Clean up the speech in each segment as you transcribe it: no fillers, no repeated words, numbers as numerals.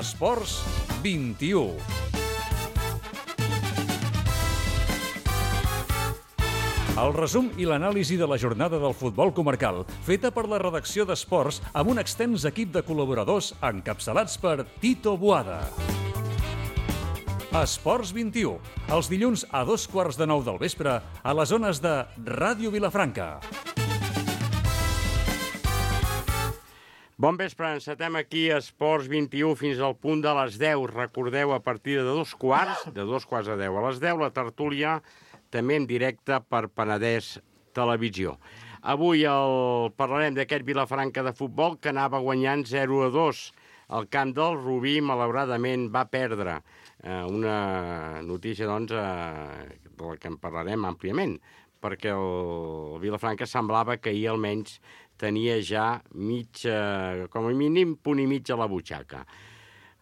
Esports 21. El resum i l'anàlisi de la jornada del futbol comarcal, feta per la redacció d'Esports amb un extens equip de col·laboradors encapçalats per Tito Boada. Esports 21, els dilluns a 8:15 del vespre a les zones de Ràdio Vilafranca. Bon vespre, encetem aquí a Esports 21 fins al punt de les 10. Recordeu, a partir de 2:15, de 2:15 a les 10, la tertúlia també en directe per Penedès Televisió. Avui parlarem d'aquest Vilafranca de futbol que anava guanyant 0-2. El camp del Rubí, malauradament, va perdre. Una notícia, doncs, de la que en parlarem àmpliament, perquè el Vilafranca semblava que ahir almenys tenia ja com a mínim punt i mig a la butxaca.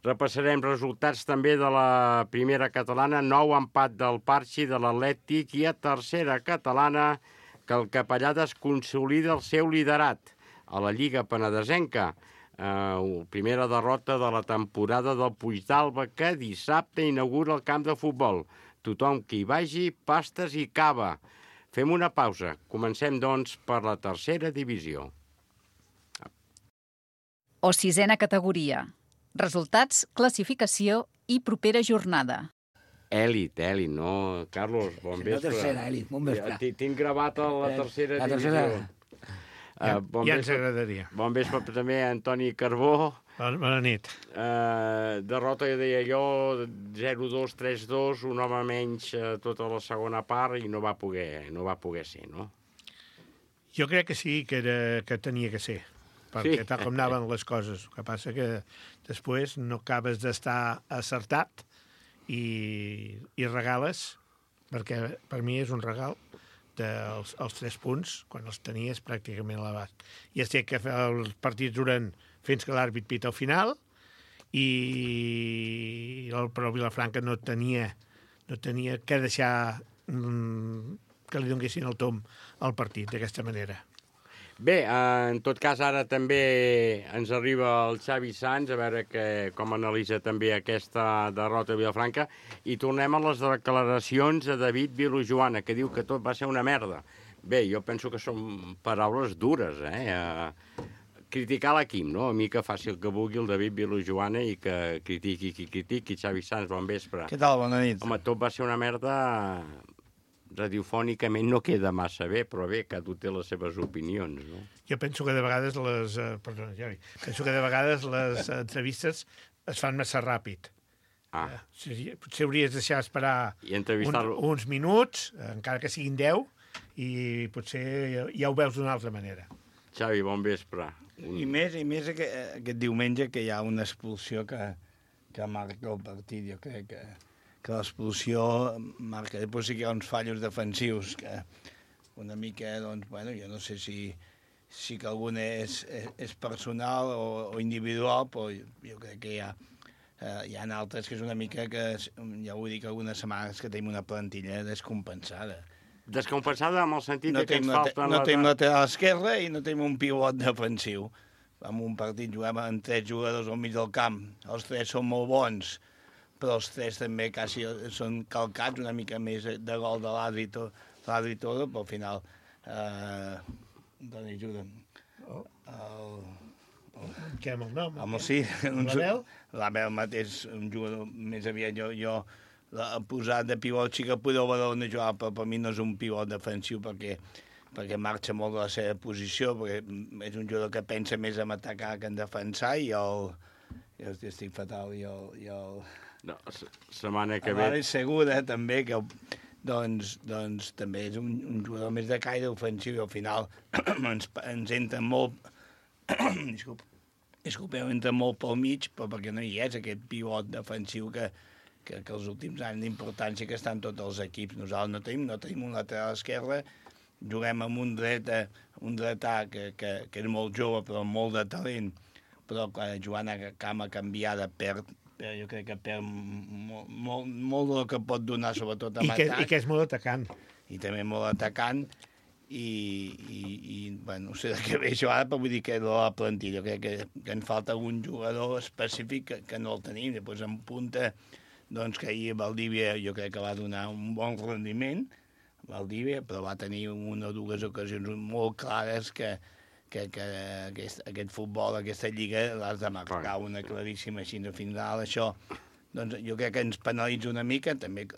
Repassarem resultats també de la primera catalana, 9 empat del Parxi, de l'Atlètic, i a tercera catalana que el Capellades consolida el seu liderat a la Lliga Penedesenca. Primera derrota de la temporada del Puigdàlber, que dissabte inaugura el camp de futbol. Tothom que hi vagi, pastes i cava. Fem una pausa. Comencem, doncs, per la tercera divisió. O sisena categoria. Resultats, classificació i propera jornada. Elit, no? Carlos, bon vespre. La tercera, Elit, bon vespre. Tinc gravat a la tercera divisió. Ja ens agradaria. Bon vespre també a Antoni Carbó. Bona nit. Derrota, deia jo, 0-2, 3-2, un home menys tota la segona part i no va poder ser, no? Jo crec que sí, que tenia que ser, perquè tal com anaven les coses. El que passa que després no acabes d'estar acertat i regales, perquè per mi és un regal, els 3 punts, quan els tenies pràcticament a l'abast. Ja sé que els partits duren fins que l'àrbit pita al final, però Vilafranca no tenia que deixar que li donessin el tom al partit d'aquesta manera. Bé, en tot cas, ara també ens arriba el Xavi Sans, a veure com analitza també aquesta derrota de Vilafranca, i tornem a les declaracions de David Vilajoana, que diu que tot va ser una merda. Bé, jo penso que són paraules dures, criticar l'equip, no? A mi que faci el que vulgui el David Vilajoana i que critiqui qui critiqui. Xavi Sans, bon vespre. Què tal? Bona nit. Home, tot va ser una merda. Radiofònicament no queda massa bé, però bé, cada un té les seves opinions, no? Jo penso que de vegades les entrevistes es fan massa ràpid. Potser hauries de deixar esperar uns minuts, encara que siguin 10, i potser ja ho veus d'una altra manera. Xavi, bon vespre. I més aquest diumenge que hi ha una expulsió que marca el partit. Jo crec que l'expulsió marca. Després sí que hi ha uns fallos defensius que una mica, doncs, bueno, jo no sé si que algun és personal o individual, però jo crec que hi ha altres que és una mica que, ja ho dic algunes setmanes, que tenim una plantilla descompensada. Descompensada en el sentit que ens falten... No tenim lateral esquerra i no tenim un pivot defensiu. En un partit juguem amb 3 jugadors al mig del camp. Els 3 són molt bons, però els 3 també quasi són calcats una mica més de gol de l'àrbitro, però al final... Doni, ajuda'm. Què, amb el nom? Sí. L'Abel? L'Abel mateix, un jugador més aviat. Jo posat de pivot sí que podeu veure on jugar, però per mi no és un pivot defensiu perquè marxa molt de la seva posició, perquè és un jugador que pensa més en atacar que en defensar, i jo estic fatal, No, setmana que ve... Segura, també, que doncs també és un jugador més de caire ofensiu, i al final ens entra molt... Disculpeu, entra molt pel mig, però perquè no hi és aquest pivot defensiu que els últims anys d'importància que estan tots els equips. Nosaltres no tenim un lateral esquerre, juguem amb un dretà que és molt jove, però molt de talent, però quan Joan Cama canviada jo crec que perd molt del que pot donar, sobretot en atac. I que és molt atacant. I també molt atacant. bueno, no sé de què ve això ara, però vull dir que la plantilla, crec que en falta un jugador específic que no el tenim. Després en punta, doncs que ahir Valdívia jo crec que va donar un bon rendiment, Valdívia, però va tenir una o dues ocasions molt clares que aquest futbol, aquesta lliga, l'has de marcar una claríssima així de final. Això, doncs jo crec que ens penalitza una mica, també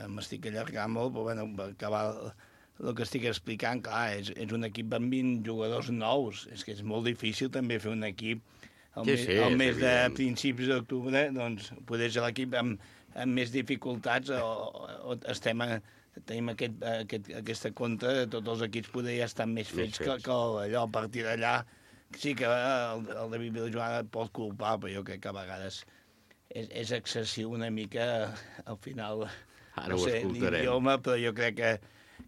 m'estic allargant molt, però bueno, per acabar el que estic explicant, clar, és un equip amb 20 jugadors nous, és que és molt difícil també fer un equip al mes de principis d'octubre, doncs poder ser l'equip amb més dificultats o tenim aquesta contra de tots els equips poder ja estan més fets que allò. A partir d'allà sí que el David Vilajoana pot culpar, però jo crec que a vegades és excessiu una mica al final, no sé, l'idioma, però jo crec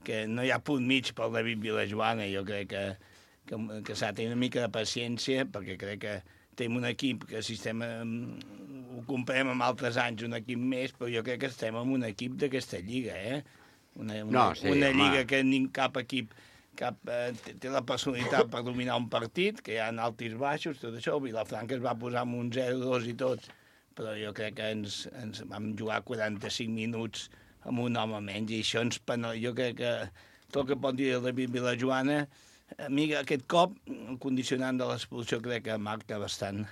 que no hi ha punt mig pel David Vilajoana. Jo crec que s'ha de tenir una mica de paciència, perquè crec que tenim un equip que si ho comparem amb altres anys, un equip més, però jo crec que estem en un equip d'aquesta lliga, una lliga que cap equip té la personalitat per dominar un partit, que hi ha alts i baixos, tot això. Vilafranca es va posar amb un 0-2 i tot, però jo crec que ens vam jugar 45 minuts amb un home menys, i això jo crec que tot el que pot dir el David Vilajoana, a mi aquest cop, el condicionant de l'expulsió crec que marca bastant.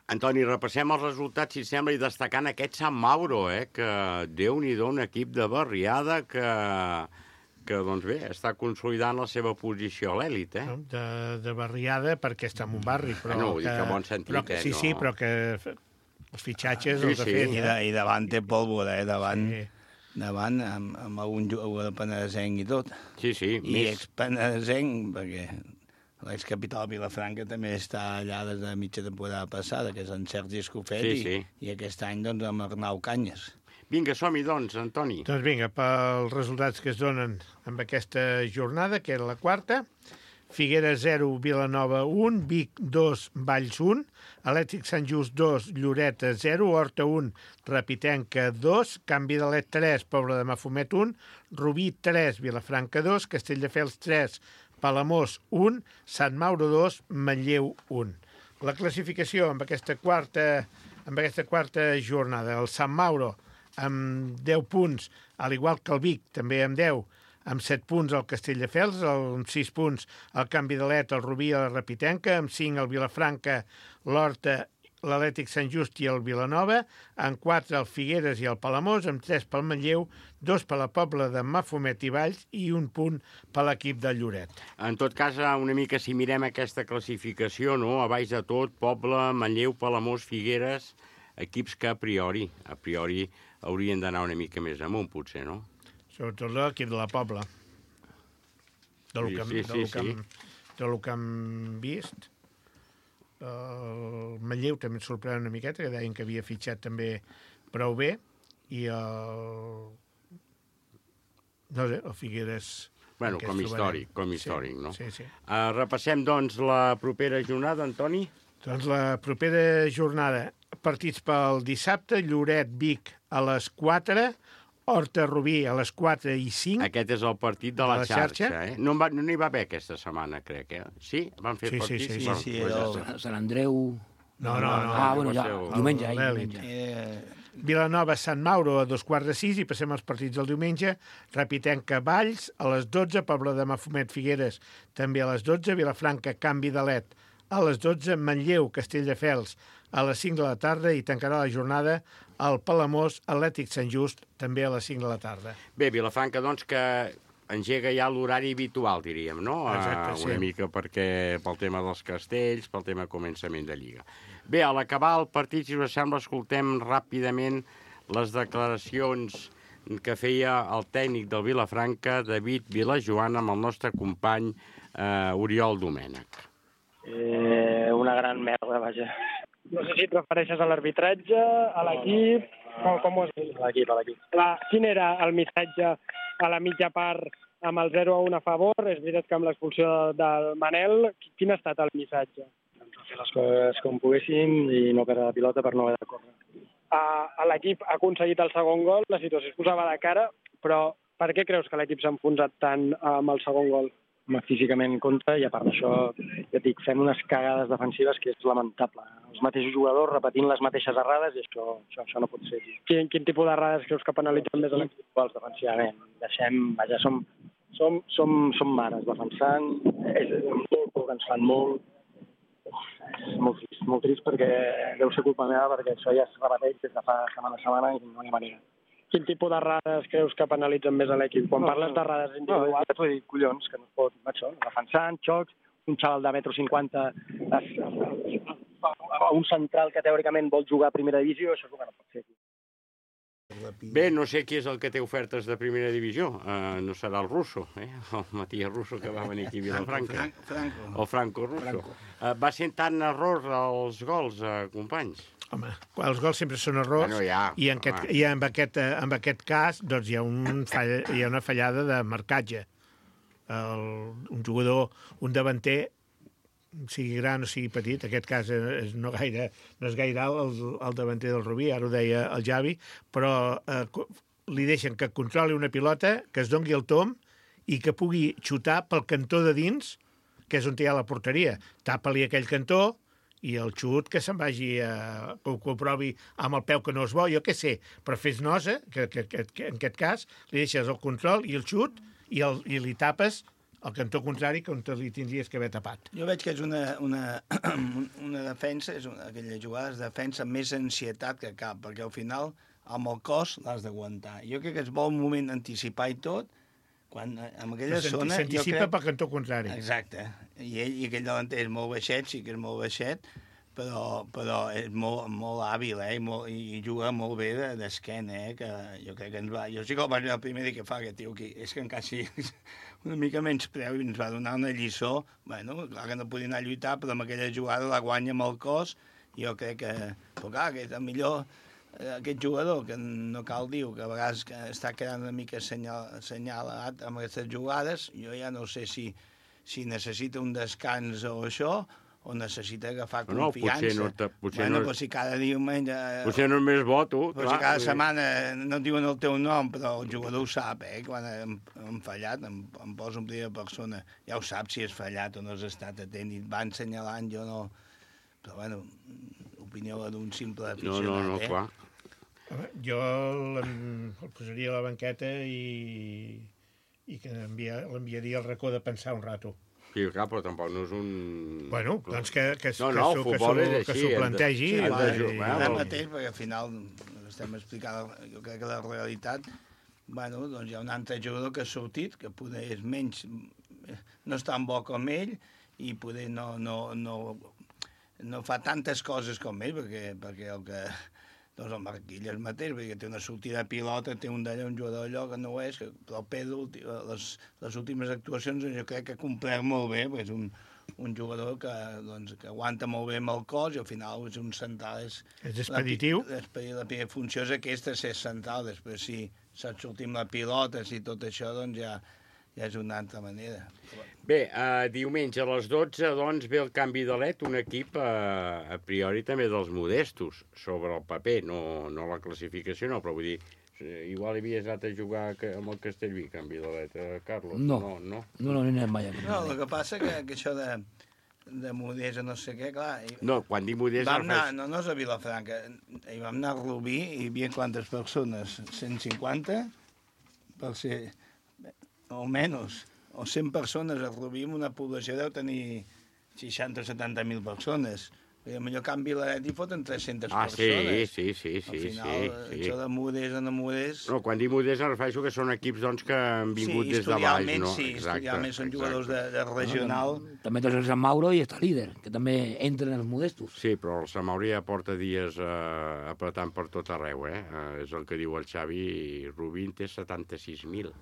Antoni, repassem els resultats, si sembla, i destacant aquest Sant Mauro, que Déu-n'hi-do, un equip de barriada que doncs bé, està consolidant la seva posició a l'èlit, De barriada, perquè està en un barri, però... No, ho dic en bon sentit, Sí, però que els fitxatges els ha fet. I davant té pólvora, davant amb algun jugador penedesenc i tot. Sí, I ex-penedesenc, perquè l'excapital de Vilafranca també està allà des de mitja temporada passada, que és en Sergi Escofet, i aquest any doncs amb Arnau Canyes. Vinga, som-hi, doncs, Antoni. Doncs vinga, pels resultats que es donen amb aquesta jornada, que era la quarta: Figueres 0, Vilanova 1, Vic 2, Valls 1, Atlètic Sant Just 2, Lloreta 0, Horta 1, Repitenca 2, Can Vidalet 3, Pobla de Mafumet 1, Rubí 3, Vilafranca 2, Castelldefels 3, Palamós 1, Sant Mauro 2, Manlleu 1. La classificació amb aquesta quarta jornada: el Sant Mauro amb 10 punts, al igual que el Vic, també amb 10, amb 7 punts el Castelldefels, amb 6 punts el Can Vidalet, el Rubí i la Repitenca, amb 5 el Vilafranca, l'Horta, l'Atlètic Sant Just i el Vilanova, amb 4 el Figueres i el Palamós, amb 3 pel Manlleu, 2 per la Pobla de Mafumet i Valls i 1 punt per l'equip de Lloret. En tot cas, una mica si mirem aquesta classificació, no? A baix de tot, Pobla, Manlleu, Palamós, Figueres, equips que a priori haurien d'anar una mica més amunt, potser, no? Sobretot l'equip de la Pobla. Del que hem vist. El Manlleu també ens sorprèn una miqueta, que deien que havia fitxat també prou bé, i el Figueres... Bueno, com històric, no? Sí. Repassem, doncs, la propera jornada, Antoni? Doncs la propera jornada, partits pel dissabte: Lloret, Vic a les 4, Horta, Rubí a les 4 i 5. Aquest és el partit de la xarxa. No n'hi va haver aquesta setmana, crec, Sí? Van fer partits? Sí. Sant Andreu... No. Bueno, ja, diumenge. Vilanova, Sant Mauro a 2:15, i passem als partits del diumenge. Repitenca, Valls a les 12, Pobla de Mafumet, Figueres també a les 12, Vilafranca, Can Vidalet a les 12, Manlleu, Castelldefels a les 5 de la tarda, i tancarà la jornada el Palamós, Atlètic Sant Just, també a les 5 de la tarda. Bé, Vilafranca, doncs, que engega ja l'horari habitual, diríem, no? Exacte, sí. Una mica pel tema dels castells, pel tema començament de Lliga. Bé, a l'acabar el partit, si us sembla, escoltem ràpidament les declaracions que feia el tècnic del Vilafranca, David Vilajoana, amb el nostre company Oriol Domènech. Una gran merda, vaja. No sé si et refereixes a l'arbitratge, a l'equip, com ho has dit? A l'equip. Quin era el missatge a la mitja part amb el 0-1 a favor? És veritat que amb l'expulsió del Manel, quin ha estat el missatge? Fer les coses com poguéssim i no perdre la pilota per no haver de córrer. L'equip ha aconseguit el segon gol, la situació es posava de cara, però Per què creus que l'equip s'ha enfonsat tant amb el segon gol? Físicament compta, i a part d'això, jo dic, fem unes cagades defensives que és lamentable. Els mateixos jugadors repetint les mateixes errades i això no pot ser. Quin tipus d'errades creus que penalitzen més l'equip? Iguals defensivament. Som mares defensant, és molt poc, ens fan molt. És molt trist perquè deu ser culpa meva, perquè això ja es repeteix des de fa setmana a setmana i no hi ha manera. Quin tipus d'errades creus que penalitzen més l'equip? Quan parles d'errades individuals... Ja t'ho he dit, collons, que no es pot... Defensant, xocs, un xaval de 1,50 m, un central que teòricament vol jugar a primera divisió, això és el que no pot ser. Bé, no sé qui és el que té ofertes de primera divisió. No serà el Russo, el Matías Russo, que va venir aquí a Vilafranca. O Franco Russo. Va ser tant error els gols, companys? Home, els gols sempre són errors, bueno, ja, i en aquest cas doncs, hi ha una fallada de marcatge. Un jugador, un davanter, sigui gran o sigui petit, en aquest cas no és gaire alt el davanter del Rubí, ara ho deia el Javi, però li deixen que controli una pilota, que es doni el tom i que pugui xutar pel cantó de dins, que és on hi ha la porteria. Tapa-li aquell cantó i el xut que se'n vagi que ho provi amb el peu que no és bo, jo què sé, però fes nosa, que en aquest cas li deixes el control i el xut i li tapes el cantó contrari que on li tindries que haver tapat. Jo veig que és una defensa, aquella jugada de defensa més ansietat que cap, perquè al final amb el cos l'has d'aguantar. Jo crec que es vol un moment anticipar i tot, quan en aquella zona... S'anticipa pel cantó contrari. Exacte. I aquell davanter és molt baixet, sí que és molt baixet, però és molt hàbil, i juga molt bé d'esquena, que jo crec que ens va... Jo sí que el vaig veure el primer dia que fa aquest tio aquí, és que encara sí una mica menys preu i ens va donar una lliçó. Bueno, clar que no podia anar a lluitar, però amb aquella jugada la guanya amb el cos, i jo crec que... Però clar, que és millor... Aquest jugador, que no cal dir, que a vegades està quedant una mica assenyalat amb aquestes jugades, jo ja no sé si necessita un descans o això, o necessita agafar confiança. Potser no... Però si cada diumenge... Potser no és més bo, tu. Però si cada setmana no diuen el teu nom, però el jugador ho sap, quan hem fallat, em poso en primera persona. Ja ho sap si has fallat o no has estat atent, i va assenyalant, jo no... Però, bueno, opinió d'un simple aficionat. No, clar. Jo el posaria a la banqueta i que l'enviaria al racó de pensar un rato. Sí, clar, però tampoc no és un... Bueno, doncs que s'ho plantegi. Ara mateix, perquè al final estem explicant, jo crec que la realitat, bueno, doncs hi ha un altre jugador que ha sortit, que poder és menys, no és tan bo com ell, i poder no fa tantes coses com ell, perquè el que... Doncs el Marquilles mateix, perquè té una sortida de pilota, té un jugador allò que no ho és, però el Pedro, les últimes actuacions, jo crec que ha complert molt bé, perquè és un jugador que aguanta molt bé amb el cos i al final és un central. És expeditiu. La primera funció és aquesta, ser central. Després, si saps sortir amb la pilota, si tot això, doncs ja és una altra manera. Bé, diumenge a les 12, doncs, ve el canvi de LED, un equip a priori també dels modestos, sobre el paper, no la classificació, no, però vull dir, igual havies anat a jugar amb el Castellví, canvi de LED, Carlos? No anem mai. No, el que passa que això de Modés o no sé què, clar... No, quan dic Modés... No és a Vilafranca, hi vam anar a Rubí i hi havia quantes persones? 150? Per ser... o menys, o 100 persones a Rubí, una població deu tenir 60 o 70.000 persones. El millor canvi la net hi foten 300 persones. Sí. Al final, això de Modés o no Modés... No, quan dic Modés em refereixo que són equips doncs, que han vingut des de baix. Sí, historialment són jugadors de regional. També tens el Sant Mauro i està líder, que també entren els modestos. Sí, però el Sant Mauro ja porta dies apretant per tot arreu, és el que diu el Xavi, i Rubí té 76.000.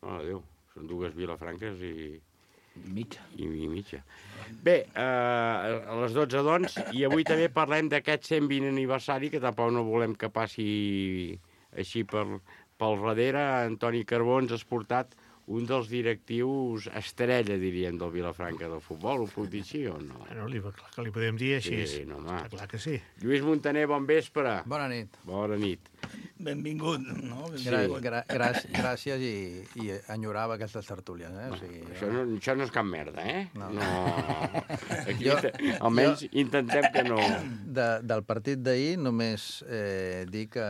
Oh, Déu, són dues Vilafranques i mitja. Bé, a les 12, doncs, i avui també parlem d'aquest 120 aniversari, que tampoc no volem que passi així pel darrere. Antoni Carbó ens ha portat un dels directius estrella, diríem, del Vilafranca del futbol. Ho puc dir així o no? Bueno, clar que li podem dir així. Sí, no, home. Clar que sí. Lluís Montaner, bon vespre. Bona nit. Bona nit. benvingut, no? Gràcies i enyorava aquestes tertúlies, eh? O sigui, Això no és cap merda, eh? No. Aquí almenys intentem que no... Del partit d'ahir només dir que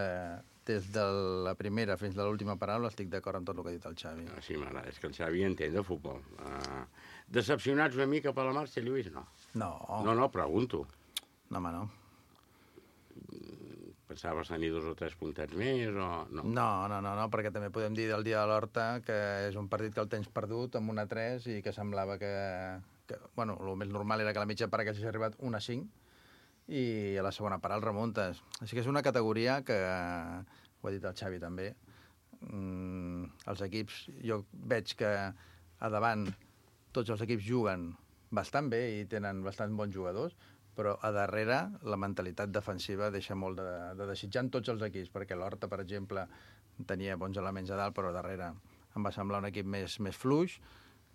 des de la primera fins a l'última paraula estic d'acord amb tot el que ha dit el Xavi. Sí, m'agrada, és que el Xavi entén de futbol. Decepcionats una mica per la marxa, Lluís? No. No, pregunto. No, home, no. Pensaves tenir 2 o 3 puntets més o... No, perquè també podem dir del dia de l'Horta que és un partit que el tens perdut amb 1-3 i que semblava que bueno, el més normal era que a la mitja part haguessis arribat 1-5 i a la segona part el remuntes. Així que és una categoria que, ho ha dit el Xavi també, els equips, jo veig que a davant tots els equips juguen bastant bé i tenen bastant bons jugadors, però a darrere la mentalitat defensiva deixa molt de desitjar en tots els equips, perquè l'Horta, per exemple, tenia bons elements a dalt, però a darrere em va semblar un equip més fluix.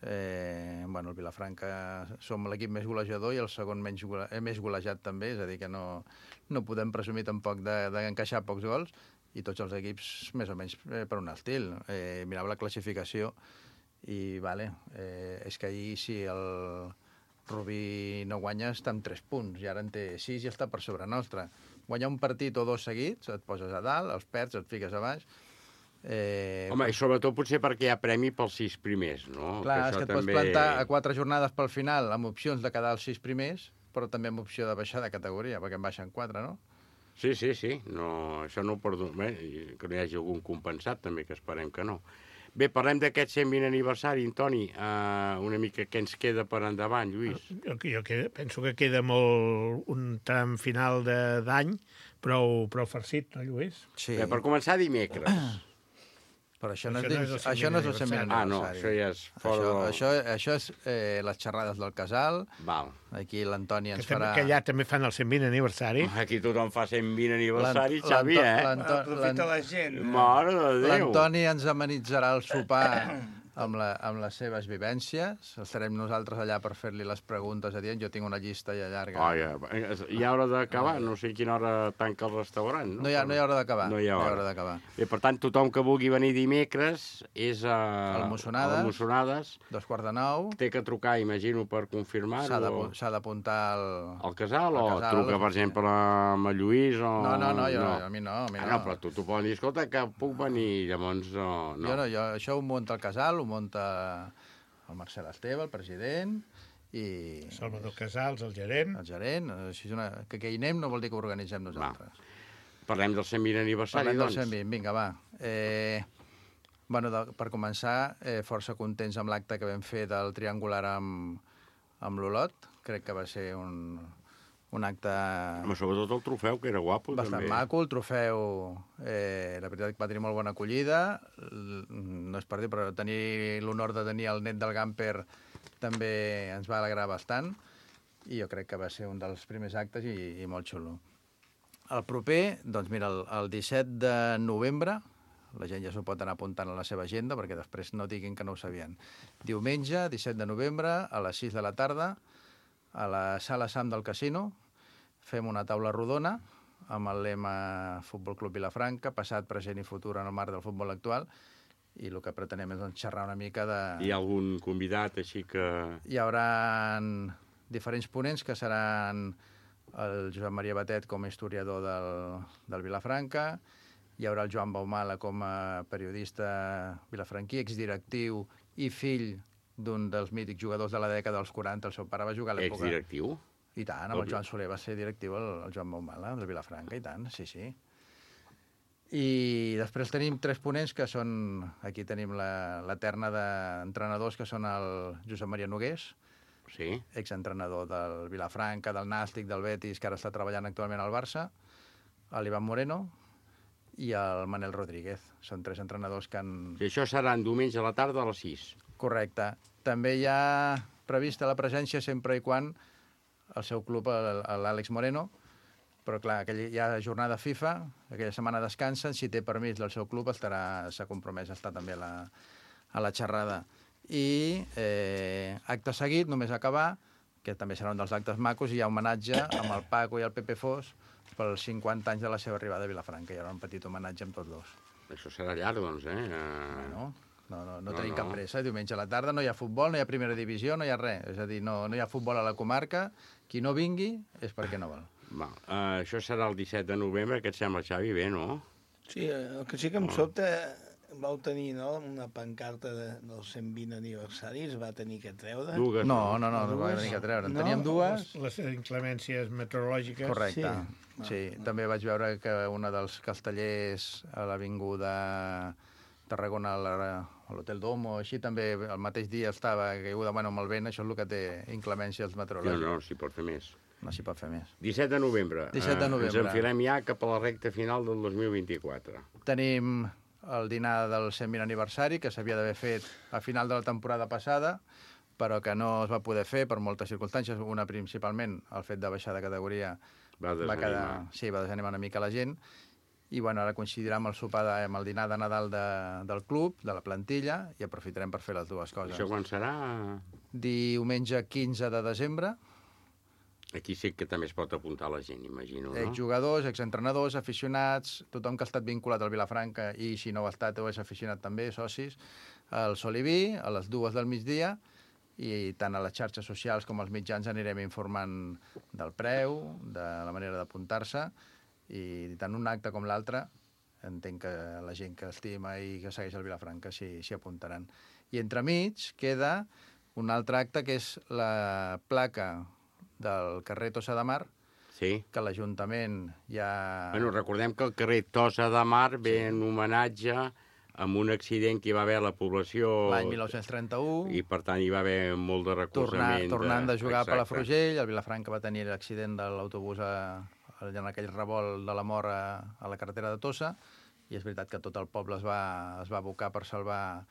El Vilafranca som l'equip més golejador i el segon més golejat també, és a dir, que no podem presumir tampoc d'encaixar pocs gols, i tots els equips més o menys per un estil. Mirava la classificació i, és que ahir si el Rubí no guanya està amb 3 punts, i ara en té 6 i està per sobre nostre. Guanyar un partit o 2 seguits, et poses a dalt, els perds, et fiques a baix. Home, i sobretot potser perquè hi ha premi pels 6 primers, no? Clar, és que et pots plantar a 4 jornades pel final amb opcions de quedar als 6 primers, però també amb opció de baixar de categoria, perquè en baixen 4, no? Sí. No, això no ho perdono. Que no hi hagi algun compensat, també, que esperem que no. Bé, parlem d'aquest 120 aniversari, Toni. Una mica què ens queda per endavant, Lluís? Jo penso que queda molt un tram final d'any, prou farcit, no, Lluís? Sí. Bé, per començar, dimecres. Però això no és el 120 aniversari. Ah, no, això ja és fora... Això és les xerrades del casal. Val. Aquí l'Antoni ens farà... Que allà també fan el 120 aniversari. Aquí tothom fa 120 aniversari, Xavi, Aprofita la gent. Mare de Déu. L'Antoni ens amenitzarà el sopar amb les seves vivències. Estarem nosaltres allà per fer-li les preguntes adient. Jo tinc una llista ja llarga. Hi ha hora d'acabar? No sé a quina hora tanca el restaurant, no? No hi ha hora d'acabar. No hi ha hora d'acabar. Bé, per tant, tothom que vulgui venir dimecres és a Mossonades. 8:45. Té que trucar, imagino, per confirmar-ho. S'ha d'apuntar al casal o truca, per exemple, amb el Lluís o... No, a mi no. No, però tu poden dir, escolta, que puc venir, llavors no. Jo això ho munta el casal, ho munta el Marcel Esteve, el president, i... Salvador Casals, el gerent. El gerent. Que hi anem no vol dir que ho organitzem nosaltres. Parlem del 120 aniversari, doncs. Parlem del 120, vinga, va. Per començar, força contents amb l'acte que vam fer del triangular amb l'Olot. Crec que va ser un acte... Home, sobretot el trofeu, que era guapo, bastant també. Maco, el trofeu, la veritat que va tenir molt bona acollida. No és per dir, però tenir l'honor de tenir el net del Gamper també ens va alegrar bastant, i jo crec que va ser un dels primers actes i molt xulo. El proper, doncs mira, el 17 de novembre, la gent ja s'ho pot anar apuntant a la seva agenda, perquè després no diguin que no ho sabien. Diumenge, 17 de novembre, a les 6 de la tarda, a la Sala Sam del Casino, fem una taula rodona amb el lema Futbol Club Vilafranca, passat, present i futur en el marc del futbol actual, i el que pretenem és xerrar una mica de... Hi ha algun convidat, així que... Hi haurà diferents ponents, que seran el Josep Maria Batet com a historiador del Vilafranca, hi haurà el Joan Baumala com a periodista vilafranquí, exdirectiu i fill d'un dels mítics jugadors de la dècada dels 40, el seu pare va jugar a l'època... Exdirectiu? I tant, amb el Joan Soler va ser directiu el Joan Baumala, del Vilafranca, i tant, sí. I després tenim 3 ponents que són... Aquí tenim la terna d'entrenadors, que són el Josep Maria Nogués, exentrenador del Vilafranca, del Nàstic, del Betis, que ara està treballant actualment al Barça, l'Ivan Moreno i el Manel Rodríguez. Són 3 entrenadors que han... I això seran diumenge a la tarda a les 6. Correcte. També hi ha prevista la presència sempre i quan el seu club, l'Àlex Moreno, però clar, hi ha jornada FIFA, aquella setmana descansen, si té permís del seu club s'ha compromès a estar també a la xerrada. I acte seguit, només acabar, que també serà un dels actes macos, hi ha homenatge amb el Paco i el Pepe Fos pels 50 anys de la seva arribada a Vilafranca. Hi haurà un petit homenatge amb tots dos. Això serà llarg, doncs, No tenim cap pressa. Diumenge a la tarda no hi ha futbol, no hi ha primera divisió, no hi ha res. És a dir, no hi ha futbol a la comarca. Qui no vingui és perquè no vol. Això serà el 17 de novembre, que et sembla, Xavi? Bé, no? Sí, el que sí que em sobta, vau tenir una pancarta dels 120 aniversaris, va tenir que treure. Dues. No va tenir que treure. En teníem dues. Les inclemències meteorològiques. Correcte. Sí, també vaig veure que una dels castellers a l'avinguda Tarragona, a l'Hotel Domo, així també el mateix dia estava caiguda amb el vent, això és el que té inclemències meteorològiques. No, s'hi pot fer més. No s'hi pot fer més. 17 de novembre. 17 de novembre. Ens enfilem ja cap a la recta final del 2024. Tenim el dinar del 120 aniversari, que s'havia d'haver fet a final de la temporada passada, però que no es va poder fer per moltes circumstàncies. Una, principalment, el fet de baixar de categoria va desanimar una mica la gent. I ara coincidirà amb el sopar, amb el dinar de Nadal del club, de la plantilla, i aprofitarem per fer les dues coses. Això quan serà? Diumenge 15 de desembre. Aquí sí que també es pot apuntar la gent, imagino, no? Exjugadors, exentrenadors, aficionats, tothom que ha estat vinculat al Vilafranca i si no ho ha estat o és aficionat també, socis, al Soliví, a les 2 del migdia, i tant a les xarxes socials com als mitjans anirem informant del preu, de la manera d'apuntar-se, i tant un acte com l'altre entenc que la gent que estima i que segueix el Vilafranca s'hi apuntaran. I entremig queda un altre acte que és la placa del carrer Tossa de Mar, que l'Ajuntament ja... Recordem que el carrer Tossa de Mar ve en homenatge amb un accident que hi va haver a la població... L'any 1931. I, per tant, hi va haver molt de recolzament. Tornant de jugar a Palafrugell, el Vilafranca va tenir l'accident de l'autobús en aquell revolt de la mort a la carretera de Tossa, i és veritat que tot el poble es va abocar per salvar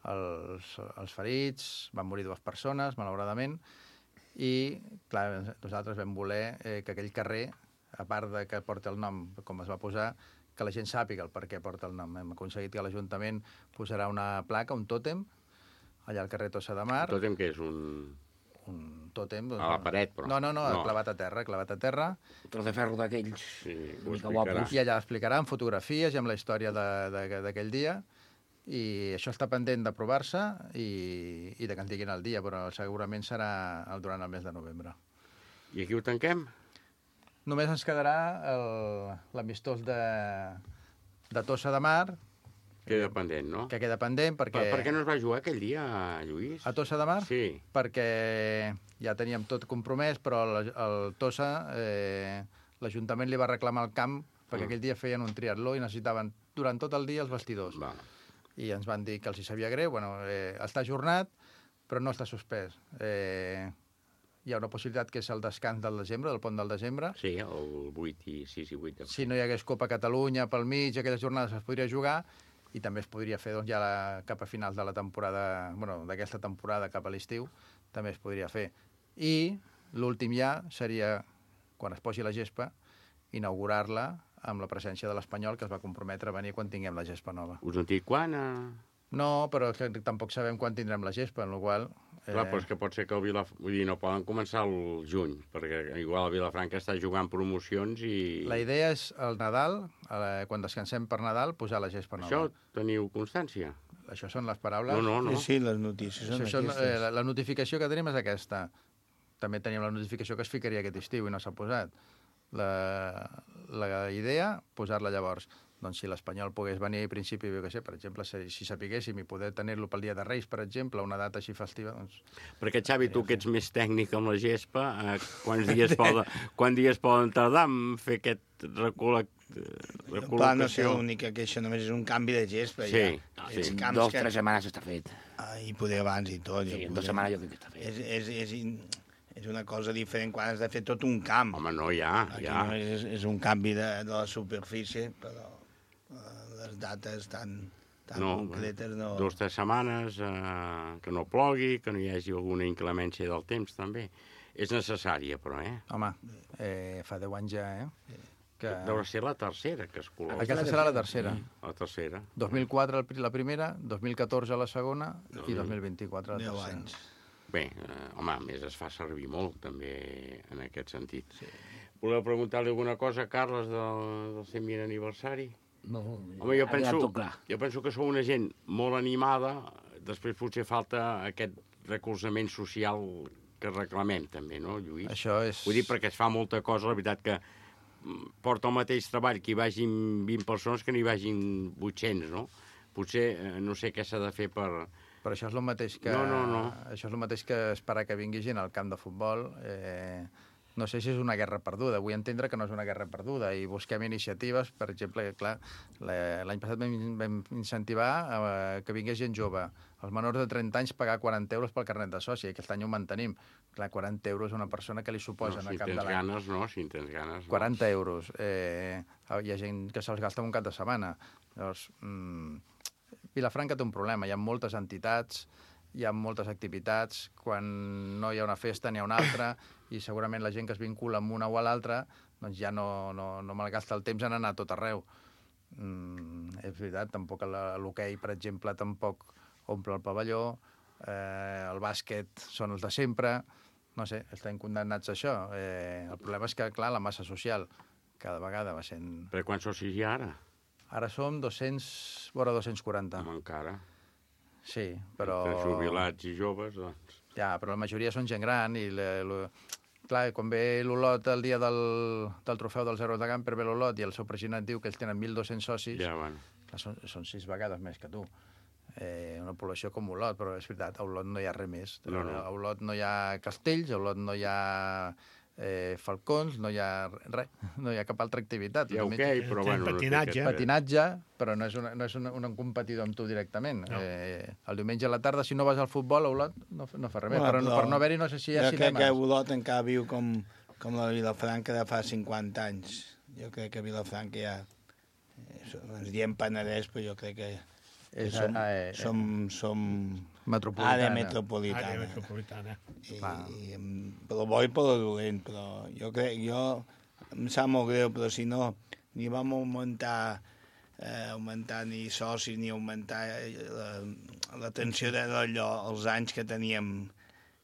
els ferits, van morir 2 persones, malauradament, i, clar, nosaltres vam voler que aquell carrer, a part de que porta el nom, com es va posar, que la gent sàpiga el per què porta el nom. Hem aconseguit que l'Ajuntament posarà una placa, un tòtem, allà al carrer Tossa de Mar. Un tòtem que és un tòtem. A la paret, però. No, clavat a terra. Un tros de ferro d'aquells. Sí, ho explicarà. I allà explicarà amb fotografies i amb la història d'aquell dia. I això està pendent d'aprovar-se i de que en diguin el dia, però segurament serà durant el mes de novembre. I aquí ho tanquem? Només ens quedarà l'amistós de Tossa de Mar. Queda pendent, no? Que queda pendent perquè... Per què no es va jugar aquell dia, Lluís? A Tossa de Mar? Sí. Perquè ja teníem tot compromès, però el Tossa, l'Ajuntament li va reclamar el camp perquè aquell dia feien un triatló i necessitaven durant tot el dia els vestidors. I ens van dir que els hi sabia greu. Està ajornat, però no està suspès. Hi ha una possibilitat que és el descans del desembre, del pont del desembre. Sí, el 8 i 6 i 8. Si no hi hagués Copa Catalunya pel mig, aquelles jornades es podria jugar i també es podria fer ja cap a finals de la temporada, d'aquesta temporada cap a l'estiu, també es podria fer. I l'últim ja seria, quan es posi la gespa, inaugurar-la amb la presència de l'Espanyol, que es va comprometre a venir quan tinguem la gespa nova. Us han dit quan? No, però tampoc sabem quan tindrem la gespa, en la qual... Clar, però és que pot ser que no poden començar el juny, perquè igual el Vilafranca està jugant promocions i... La idea és el Nadal, quan descansem per Nadal, posar la gespa nova. Això teniu constància? Això són les paraules? No. Sí, les notícies són aquestes. La notificació que tenim és aquesta. També teníem la notificació que es ficaria aquest estiu i no s'ha posat. La idea, posar-la llavors. Doncs si l'Espanyol pogués venir a principi, per exemple, si sapiguéssim i poder tenir-lo pel dia de Reis, per exemple, una data així festiva... Perquè, Xavi, tu que ets més tècnic amb la gespa, quants dies poden tardar en fer aquest recol·locació? No sé, l'única queixa només és un canvi de gespa. Sí. 2 o 3 setmanes està fet. I poder abans i tot. Sí, en 2 setmanes jo crec que està fet. És una cosa diferent quan has de fer tot un camp. Home, no, ja. Aquí només és un canvi de la superfície, però les dates tan concretes no... 2 o 3 setmanes, que no plogui, que no hi hagi alguna inclemència del temps, també. És necessària, però, Home, fa 10 anys ja, Que... Deu ser la tercera que es col·loca. Aquesta serà la tercera. La tercera. 2004 la primera, 2014 la segona i 2024 la tercera. 10 anys. Bé, home, a més es fa servir molt, també, en aquest sentit. Sí. Voleu preguntar-li alguna cosa a Carles del 120 aniversari? No, Home, jo tot clar. penso que sou una gent molt animada, després potser falta aquest recolzament social que reclamem també, no, Lluís? Això és... Vull dir, perquè es fa molta cosa, la veritat que porta el mateix treball que hi vagin 20 persones que n'hi vagin 800, no? Potser no sé què s'ha de fer per... Però això és el mateix que... No. Això és el mateix que esperar que vingui gent al camp de futbol. No sé si és una guerra perduda. Vull entendre que no és una guerra perduda i busquem iniciatives. Per exemple, clar, l'any passat vam incentivar que vingués gent jove. Els menors de 30 anys pagar 40 euros pel carnet de soci. Aquest any ho mantenim. Clar, 40 euros a una persona que li suposen al cap de l'any. Si en tens ganes, 40 euros. Hi ha gent que se'ls gasta en un cap de setmana. Llavors, Vilafranca té un problema. Hi ha moltes entitats, hi ha moltes activitats. Quan no hi ha una festa n'hi ha una altra i segurament la gent que es vincula amb una o a l'altra doncs ja no malgasta el temps en anar a tot arreu. És veritat, tampoc l'hoquei, per exemple, tampoc omple el pavelló, el bàsquet són els de sempre, no sé, estem condemnats a això. El problema és que, clar, la massa social cada vegada va sent... Per quants socis hi ha ara? Ara som 200, vora 240. Home, encara. Sí, però... Entre jubilats i joves, doncs... Ja, però la majoria són gent gran i... Clar, quan ve l'Olot el dia del trofeu dels Herois de Gamper, ve l'Olot i el seu president diu que ells tenen 1.200 socis, ja, bueno. Clar, són 6 vegades més que tu. Una població com Olot, però és veritat, a Olot no hi ha res més. No. A Olot no hi ha castells, a Olot no hi ha falcons, no hi ha res, no hi ha cap altra activitat. Hi ha hoquei, però bueno... Patinatge, però no és un competidor amb tu directament. No. El diumenge a la tarda, si no vas al futbol a Olot, no fa res més. Per no haver-hi, no sé si hi ha cinemes. Jo crec que Olot encara viu com la Vilafranca de fa 50 anys. Jo crec que Vilafranca ja... Ens diem Penedès, però jo crec que som metropolitana. Àrea metropolitana. Per lo bo i per lo dolent, però jo crec, em sap molt greu, però si no, ni vam augmentar ni socis, ni augmentar l'atenció d'allò, els anys que teníem,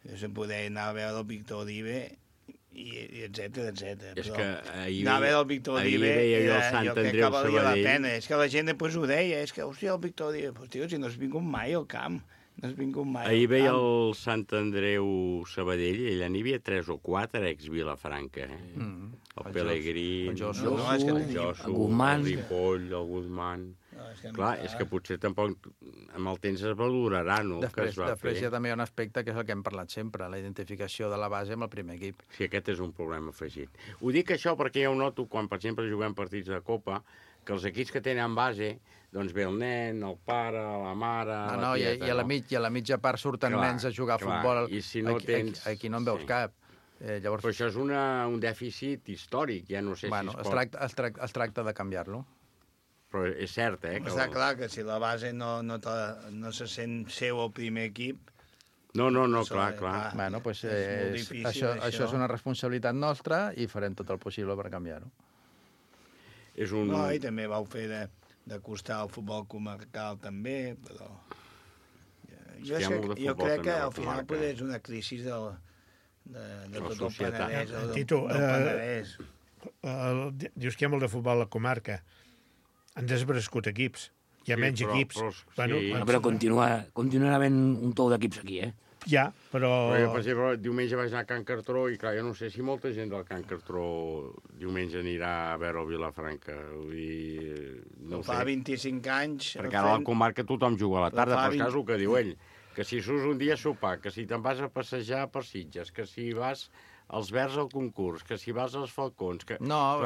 se poder anar a veure el Víctor Olive, i etcètera. És que anar a veure el Víctor Olive, jo crec que valia la pena. És que la gent després ho deia, és que, hòstia, el Víctor Olive, pues, tio, si no has vingut mai al camp, no has vingut mai al camp. Ahir veia el Sant Andreu Sabadell, i allà n'hi havia 3 o 4 ex-Vilafranca, El Pelegrí, el Josu, el Ripoll, el Guzmán... Clar, és que potser tampoc amb el temps es valorarà, no? Després hi ha també un aspecte que és el que hem parlat sempre, la identificació de la base amb el primer equip. Sí, aquest és un problema afegit. Ho dic això perquè jo noto, quan per exemple juguem partits de Copa, que els equips que tenen base, doncs ve el nen, el pare, la mare... No, i a la mitja part surten nens a jugar a futbol. I si no tens... Aquí no en veus cap. Però això és un dèficit històric, ja no sé si es pot... Es tracta de canviar-lo. Però és cert, que... Està clar que si la base no se sent seu al primer equip... No, clar. Bueno, doncs això és una responsabilitat nostra i farem tot el possible per canviar-ho. No, i també vau fer d'acostar al futbol comarcal també, però... Jo crec que al final és una crisi de tot el Penedès. Tito, dius que hi ha molt de futbol a la comarca. Han desbrescut equips. Hi ha menys equips. Però continuarà havent un tou d'equips aquí, Ja, però... Jo, per exemple, diumenge vaig anar a Can Cartró i, clar, jo no sé si molta gent del Can Cartró diumenge anirà a veure el Vilafranca. Fa 25 anys... Perquè ara a la comarca tothom juga a la tarda, però és cas el que diu ell. Que si surts un dia a sopar, que si te'n vas a passejar per Sitges, que si vas als Verds al concurs, que si vas als Falcons... No,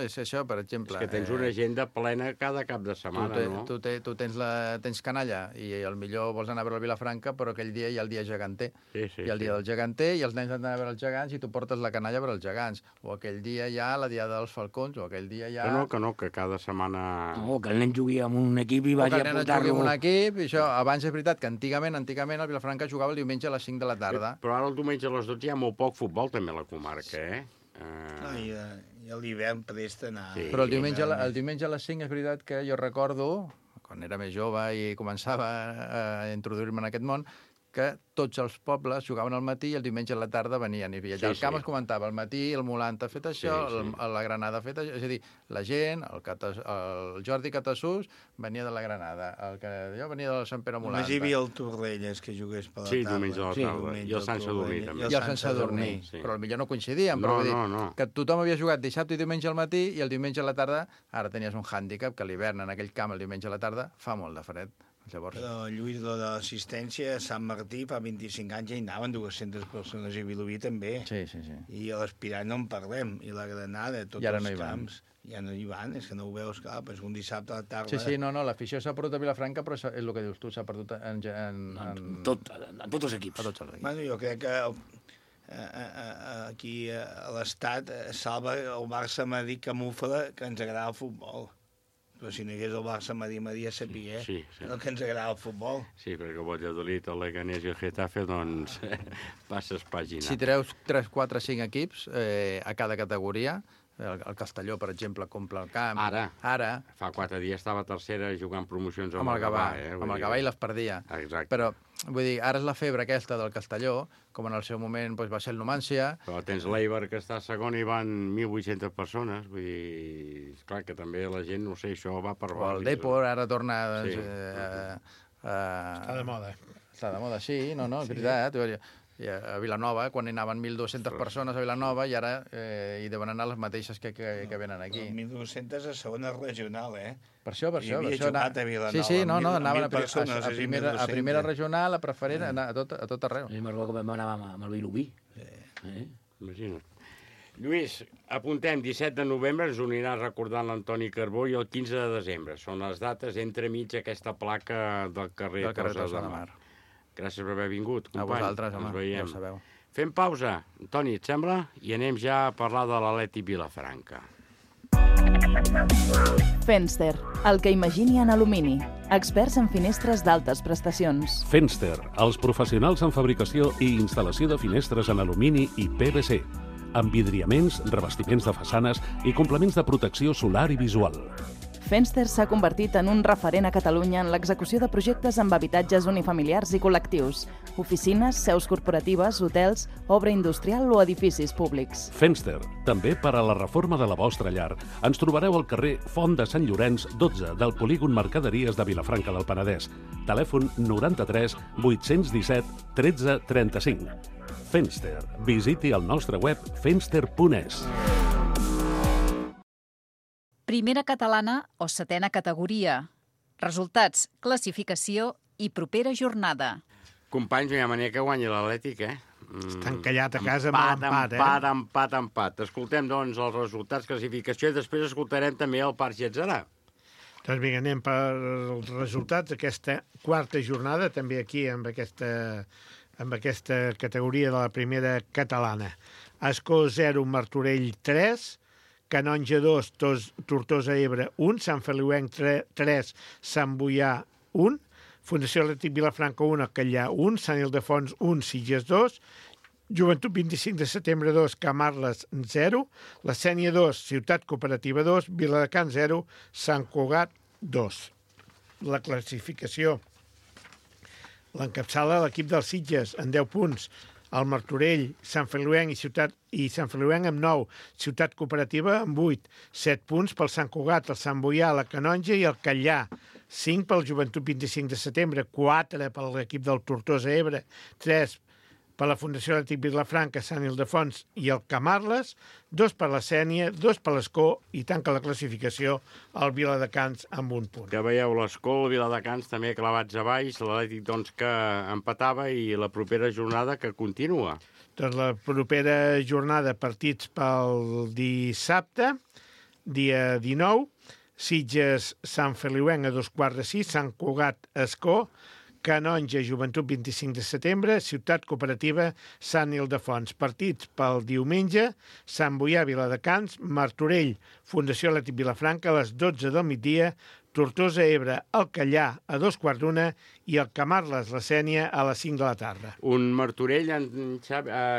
és això, per exemple. És que tens una agenda plena cada cap de setmana, no? Tu tens canalla i millor vols anar a veure el Vilafranca, però aquell dia hi ha el dia geganter. Hi ha el dia del geganter i els nens han d'anar a veure els gegants i tu portes la canalla a veure els gegants. O aquell dia hi ha la diada dels Falcons, o aquell dia hi ha... Que cada setmana... No, que el nen jugui amb un equip i vagi a portar-lo... O que el nen jugui amb un equip, i això, abans és veritat que antigament el Vilafranca jugava el diumenge a les 5 de la tarda. Però ara el diumenge a les 12 hi ha molt poc futbol també a la comarca, I a l'hivern presta anar... Però el diumenge a les 5 és veritat que jo recordo, quan era més jove i començava a introduir-me en aquest món, que tots els pobles jugaven al matí i el diumenge a la tarda venien. I allà al camp es comentava, al matí el Molant ha fet això, la Granada ha fet això. És a dir, la gent, el Jordi Catassús venia de la Granada, jo venia de Sant Pere Molant. Només hi havia el Torrelles que jugués per la tarda. Sí, diumenge a la tarda. I el Sant Sadurní també. I el Sant Sadurní. Però potser no coincidien. Però vull dir que tothom havia jugat dissabte i diumenge al matí i el diumenge a la tarda ara tenies un hàndicap que a l'hivern en aquell camp el diumenge a la tarda fa molt de fred. Llavors... Però, Lluís, de l'assistència a Sant Martí fa 25 anys ja hi anaven 200 persones i Vilobí també. Sí. I a l'Aspirant no en parlem. I la Granada, tots els camps. Ja no hi van, és que no ho veus, clar, és un dissabte a la tarda... Sí, l'afició s'ha perdut a Vilafranca, però és el que dius tu, s'ha perdut en tots els equips. Bueno, jo crec que aquí a l'Estat salva el Barça-Madrid camufla que ens agrada el futbol. Però si no hi hagués el Barça-Madrid, ja sabia el que ens agrada el futbol. Sí, perquè el Valladolid, el Leganés i el Getafe, doncs, passes pàgina. Si treus 3, 4, 5 equips a cada categoria, el Castelló, per exemple, compra el camp. Ara. Fa 4 dies estava tercera jugant promocions amb el Gavà. Amb el Gavà i les perdia. Exacte. Però, vull dir, ara és la febre aquesta del Castelló, com en el seu moment va ser el Numància. Però tens l'Eibar, que està segon, i van 1.800 persones. Vull dir, clar, que també la gent, no sé, això va per barris. O el Depor, ara torna... Està de moda. Està de moda, sí, és veritat. A Vilanova, quan hi anaven 1.200 persones a Vilanova, i ara hi deuen anar les mateixes que venen aquí. 1.200 a segona regional, Per això. Hi havia jugat a Vilanova. Sí, anaven a primera regional, a preferent, a tot arreu. I me'n recordo que anàvem amb el Vilobí. Imagina't. Lluís, apuntem, 17 de novembre ens unirà recordant l'Antoni Carbó i el 15 de desembre. Són les dates entremig aquesta placa del carrer Tossa de Mar. Gràcies per haver vingut, company. A vosaltres, home, ens veiem. ja ho sabeu. Fem pausa, Toni, et sembla? I anem ja a parlar de l'Atleti Vilafranca. Fenster, el que imagini en alumini. Experts en finestres d'altes prestacions. Fenster, els professionals en fabricació i instal·lació de finestres en alumini i PVC. Envidriaments, revestiments de façanes i complements de protecció solar i visual. Fenster s'ha convertit en un referent a Catalunya en l'execució de projectes amb habitatges unifamiliars i col·lectius, oficines, seus corporatives, hotels, obra industrial o edificis públics. Fenster, també per a la reforma de la vostra llar. Ens trobareu al carrer Font de Sant Llorenç, 12, del polígon Mercaderies de Vilafranca del Penedès. Telèfon 93 817 13 35. Fenster. Visiti el nostre web fenster.es. Primera catalana o setena categoria. Resultats, classificació i propera jornada. Companys, no hi ha manera que guanyi l'Atlètic, Està encallat a casa amb l'empat, Empat. Escoltem, doncs, els resultats, classificació, i després escoltarem també el Parc Getzarà. Doncs vinga, anem per els resultats d'aquesta quarta jornada, també aquí amb aquesta categoria de la primera catalana. Escó 0, Martorell 3, Canonja 2, Tortosa Ebre 1, Sant Feliuenc 3, Sant Boià 1, Fundació Atlètic Vilafranca 1, Callà 1, Sant Ildefons 1, Sitges 2, Joventut 25 de setembre 2, Camarles 0, La Sénia 2, Ciutat Cooperativa 2, Viladecans 0, Sant Cugat 2. La classificació l'encapçala l'equip dels Sitges en 10 punts, el Martorell, Sant Feliuenc i Sant Feliuenc amb 9, Ciutat Cooperativa amb 8, 7 punts pel Sant Cugat, el Sant Boià, la Canonja i el Callà, 5 pel Joventut 25 de setembre, 4 per l'equip del Tortosa Ebre, 3 per la Fundació Atlètic Vilafranca, Sant Ildefons i el Camarles, 2 per la Sénia, 2 per l'Escó i tanca la classificació el Viladecans amb 1 punt. Que veieu, l'Escó, el Viladecans també clavats a baix, l'Atlètic doncs que empatava i la propera jornada que continua. Doncs la propera jornada, partits pel dissabte, dia 19, Sitges, Sant Feliuenc a 2:15, Sant Cugat, Escó, Canonja, Joventut 25 de setembre, Ciutat Cooperativa, Sant Ildefons. Partits pel diumenge, Sant Boià, Viladecans, Martorell, Fundació Atlètic Vilafranca a les 12 del migdia, Tortosa Ebre, el Callà a 2:15 i el Camarles, la Sénia a les 5 de la tarda. Un Martorell,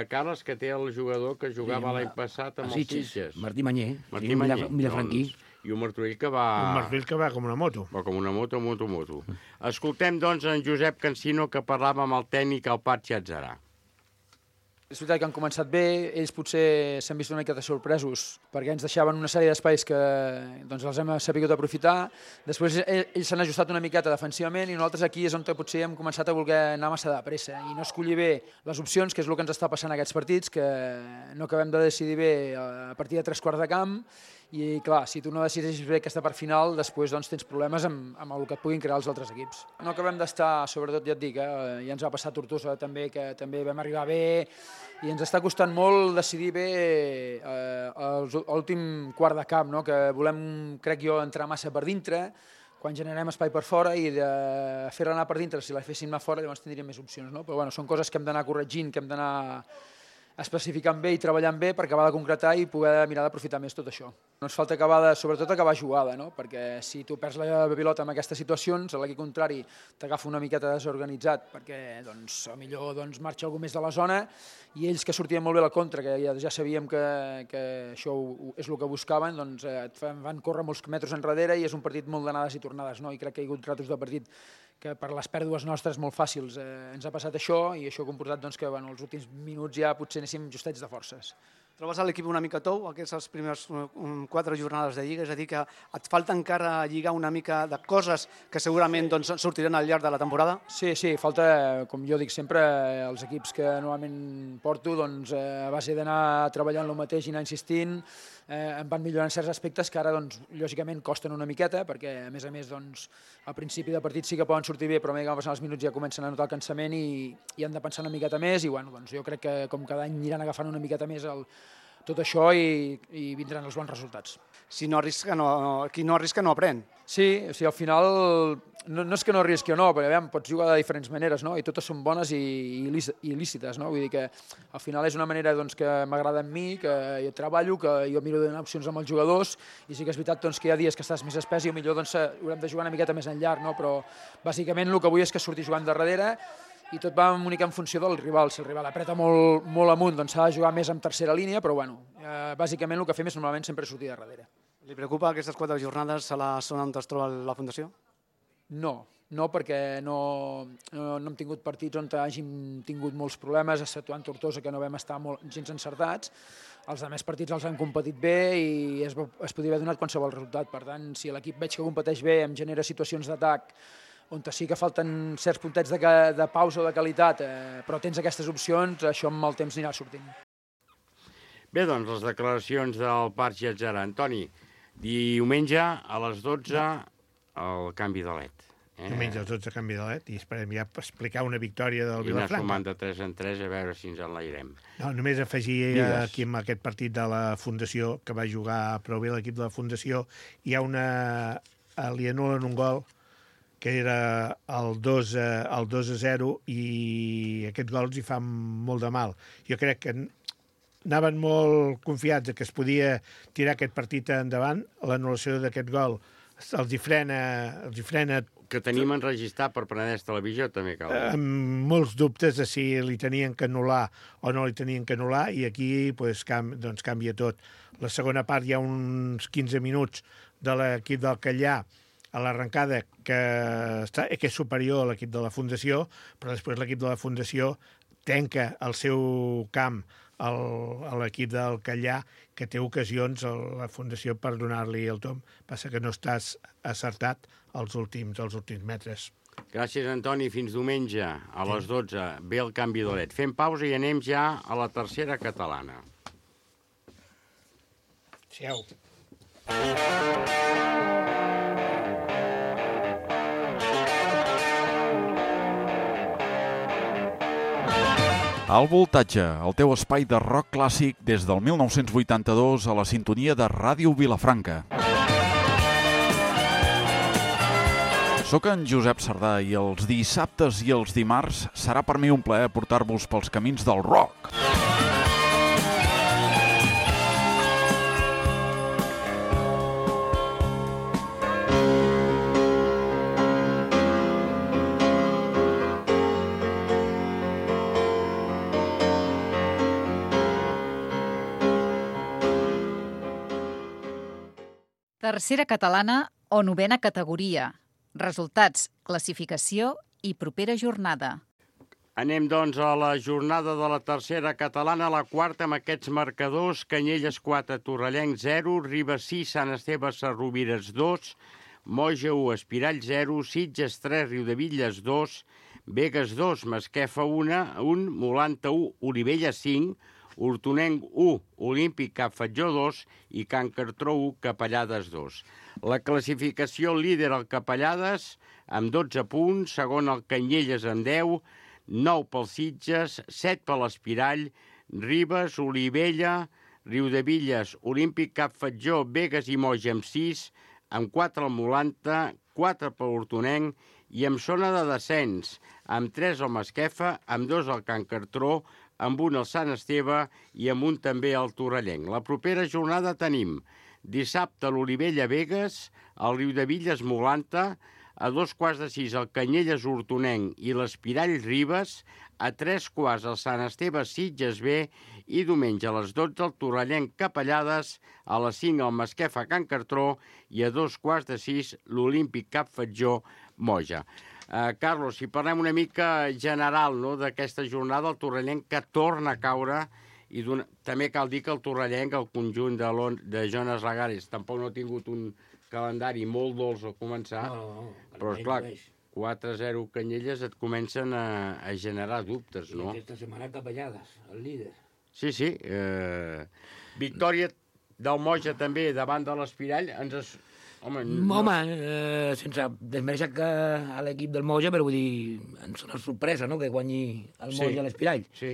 Carles, que té el jugador que jugava l'any passat amb els Sitges. Martí Manyer, Martí Manyer. Vilafranquí. i un Martorell que va... Un Martorell que va com una moto. Va com una moto. Escoltem, doncs, en Josep Cansino, que parlava amb el tècnic, el Patxi Atzarà. És veritat que han començat bé, ells potser s'han vist una miqueta sorpresos perquè ens deixaven una sèrie d'espais que doncs, els hem sabut aprofitar. Després ells s'han ajustat una miqueta defensivament i nosaltres aquí és on potser hem començat a voler anar massa de pressa i no escollir bé les opcions, que és el que ens està passant en aquests partits, que no acabem de decidir bé a partir de 3/4 de camp i clar, si tu no decideixes bé aquesta part final, després doncs, tens problemes amb el que et puguin crear els altres equips. No acabem d'estar, sobretot ja et dic, ja ens va passar Tortosa també, que també vam arribar bé i ens està costant molt decidir bé l'últim quart de camp, no? Que volem, crec jo, entrar massa per dintre, quan generem espai per fora i de fer-la anar per dintre, si la féssim anar fora llavors tindríem més opcions, no? Però bueno, són coses que hem d'anar corregint, que hem d'anar especificant bé i treballant bé per acabar de concretar i poder mirar d'aprofitar més tot això. No ens falta sobretot acabar jugada, no? Perquè si tu perds la pilota en aquestes situacions, a l'equip contrari t'agafa una miqueta desorganitzat perquè doncs, millor doncs, marxa algú més de la zona i ells que sortien molt bé a la contra, que ja sabíem que això és el que buscaven, doncs van córrer molts metres enrere i és un partit molt d'anades i tornades, no? I crec que hi ha hagut ratos de partit que per les pèrdues nostres molt fàcils ens ha passat això i això ha comportat doncs, que els últims minuts ja potser anéssim justets de forces. Trobes l'equip una mica tou, aquestes primeres 4 jornades de Lliga, és a dir, que et falta encara lligar una mica de coses que segurament doncs, sortiran al llarg de la temporada? Sí, falta, com jo dic sempre, els equips que normalment porto, doncs, a base d'anar treballant el mateix i anar insistint, em van millorant certs aspectes que ara, doncs, lògicament, costen una miqueta, perquè, a més, doncs, al principi de partit sí que poden sortir bé, però a mesura que passen els minuts ja comencen a notar el cansament i han de pensar una miqueta més i, bueno, doncs, jo crec que com cada any aniran agafant una miqueta més tot això i vindran els bons resultats. Qui no arrisca no aprèn. Sí, o sigui, al final no és que no arrisqui o no, perquè aviam, pots jugar de diferents maneres, no? I totes són bones i il·lícites, no? Vull dir que al final és una manera doncs, que m'agrada a mi, que jo treballo, que jo miro de donar opcions amb els jugadors i sí que és veritat doncs, que hi ha dies que estàs més espès i millor doncs, haurem de jugar una miqueta més enllà, no? Però bàsicament el que vull és que surti jugant de darrere i tot va una mica en funció del rival. Si el rival apreta molt amunt, doncs s'ha de jugar més en tercera línia, però bueno, bàsicament el que fem és normalment sempre sortir de darrere. Li preocupa aquestes 4 jornades a la zona on es troba la Fundació? No, perquè no hem tingut partits on hàgim tingut molts problemes, exceptuant Tortosa, que no vam estar gens encertats. Els altres partits els han competit bé i es podria haver donat qualsevol resultat. Per tant, si l'equip veig que competeix bé, em genera situacions d'atac on sí que falten certs puntets de pausa o de qualitat, però tens aquestes opcions, això amb el temps anirà sortint. Bé, doncs, les declaracions del Patxi Atzarà. Antoni, diumenge a les 12 el canvi de LED. Diumenge a les 12 canvi de LED i esperem ja explicar una victòria del Vilafranca. I anar sumant de 3 en 3 a veure si ens enlairem. No, només afegir aquí en aquest partit de la Fundació, que va jugar prou bé l'equip de la Fundació, li anulen un gol que era el 2-0 i aquest gol els hi fa molt de mal. Jo crec que anaven molt confiats que es podia tirar aquest partit endavant. L'anul·lació d'aquest gol els hi frena... Que tenim enregistrat per Penedès Televisió, també cal. Amb molts dubtes de si li tenien que anul·lar o no li tenien que anul·lar i aquí doncs, canvia tot. La segona part hi ha uns 15 minuts de l'equip del Callà a l'arrencada que és superior a l'equip de la Fundació, però després l'equip de la Fundació tanca el seu camp a l'equip del Callà, que té ocasions a la Fundació per donar-li el tomb. Passa que no estàs acertat als últims metres. Gràcies, Antoni. Fins diumenge a les 12. Ve el canvi de LED. Fem pausa i anem ja a la tercera catalana. Siau. Al Voltatge, el teu espai de rock clàssic des del 1982 a la sintonia de Ràdio Vilafranca. Soc en Josep Sardà i els dissabtes i els dimarts serà per mi un plaer portar-vos pels camins del rock. Tercera catalana o novena categoria. Resultats, classificació i propera jornada. Anem, doncs, a la jornada de la tercera catalana, la quarta, amb aquests marcadors: Canyelles 4, Torrellenc 0, Ribes 6, Sant Esteve Sesrovires 2, Moja 1, Espirall 0, Sitges 3, Riudebitlles 2, Begues 2, Masquefa 1, Molanta 1, Olivella 5, Hortonenc 1, Olímpic Cap Fatjó 2 i Can Cartró 1, Capellades 2. La classificació: líder el Capellades amb 12 punts, segon el Canyelles amb 10, 9 pel Sitges, 7 per l'Espirall, Ribes, Olivella, Riudebitlles, Olímpic Cap Fatjó, Begues i Moja amb 6, amb 4 el Molanta, 4 per Hortonenc i amb zona de descens, amb 3 el Masquefa, amb 2 el Can Cartró, amb 1 el Sant Esteve i amb 1 també el Torrellenc. La propera jornada tenim dissabte l'Olivella Begues, el Riudebitlles Molanta, a 2:15 el Canyelles Hortonenc i l'Espirall Ribes, a 3:15 el Sant Esteve Sitges B i diumenge a les 12 el Torrellenc Capellades, a les 5 el Masquefa Can Cartró i a 2:15 l'Olímpic Cap Fatjó Moja. Carlos, si parlem una mica general, no, d'aquesta jornada, el Torrellenc que torna a caure, i també cal dir que el Torrellenc, el conjunt de Jonas Lagares, tampoc no ha tingut un calendari molt dolç al començar, però esclar, 4-0 Canyelles et comencen a generar dubtes, no? I aquesta setmana Capellades, el líder. Sí. Victòria del Moja també davant de l'Espirall. Home, sense desmereixer a l'equip del Moja, però vull dir, ens sona sorpresa, no?, que guanyi el Moja a l'Espirall. Sí.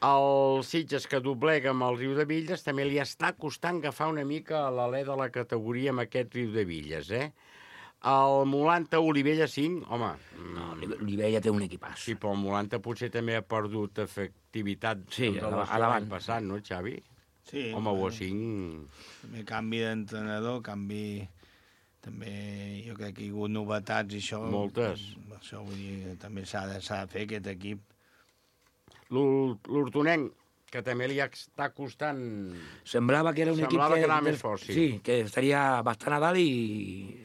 El Sitges, que doblega amb el Riudebitlles, també li està costant agafar una mica l'alè de la categoria amb aquest Riudebitlles, El Molanta Olivella 5, home... No, Olivella té un equipàs. Sí, però el Molanta potser també ha perdut efectivitat a l'any passat, no, Xavi? Sí. Home, o 5... També canvi d'entrenador, també jo crec que hi ha hagut novetats i això... Moltes. Això vull dir, també s'ha de fer aquest equip. L'Hortonenc, que també li està costant... Semblava que era un equip que anava més fort, sí. Sí, que estaria bastant a dalt i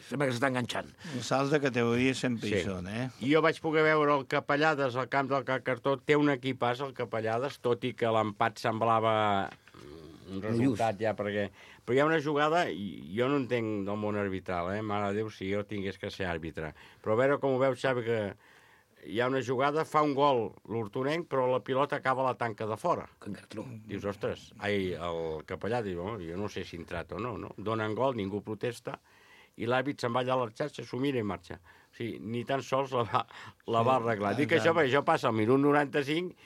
sembla que s'està enganxant. Els salts de categoria sempre hi són, Jo vaig poder veure el Capellades al camp del Can Cartró. Té un equipàs, el Capellades, tot i que l'empat semblava un resultat ja, perquè... Però hi ha una jugada, jo no entenc del món arbitral, mare de Déu, si jo tingués que ser àrbitre. Però a veure com ho veus, Xavi, que... Hi ha una jugada, fa un gol l'Hortonenc, però la pilota acaba a la tanca de fora. Can Cartró. Dius, ostres, el capellà diu, jo no sé si ha entrat o no. Donen gol, ningú protesta, i l'àrbit se'n va allà a la xarxa, s'ho mira i marxa. O sigui, ni tan sols la va arreglar. Dic això perquè això passa al minut 95,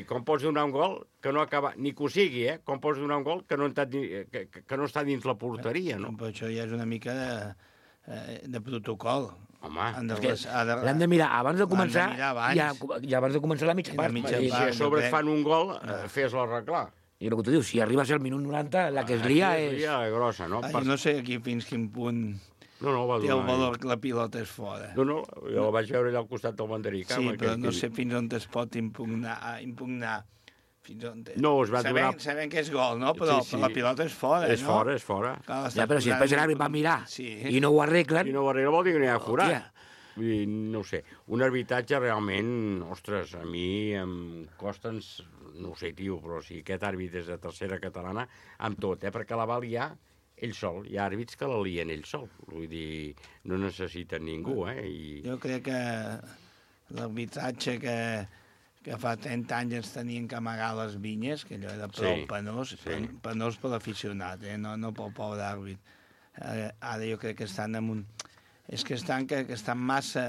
i com pots donar un gol que no acaba, ni que ho sigui, com pots donar un gol que no està dins la porteria, no? Però això ja és una mica de protocol. Home, l'hem de mirar abans de començar i abans de començar la mitja part. I si a sobre et fan un gol, fes-lo arreglar. I el que tu dius, si arriba a ser el minut 90, la que es lia és... grossa, no? No sé aquí fins quin punt té el valor que la pilota és fora. No, jo la vaig veure allà al costat del banderí. Sí, però no sé fins on es pot impugnar. No, es va donar... Sabem que és gol, no? Però la pilota és fora, no? És fora. Ja, però si després l'àrbit va mirar i no ho arreglen... I no ho arreglen vol dir que n'hi ha forat. Vull dir, no ho sé. Un arbitratge realment, ostres, a mi em costa... No ho sé, tio, però si aquest àrbit és de tercera catalana, amb tot, perquè la va liar ell sol. Hi ha àrbits que la lien ell sol. Vull dir, no necessiten ningú, Jo crec que l'arbitratge que fa 30 anys ens tenien que amagar les vinyes, que allò era prou penós per l'aficionat, no pel pobre àrbit. Ara jo crec que estan en un... És que estan massa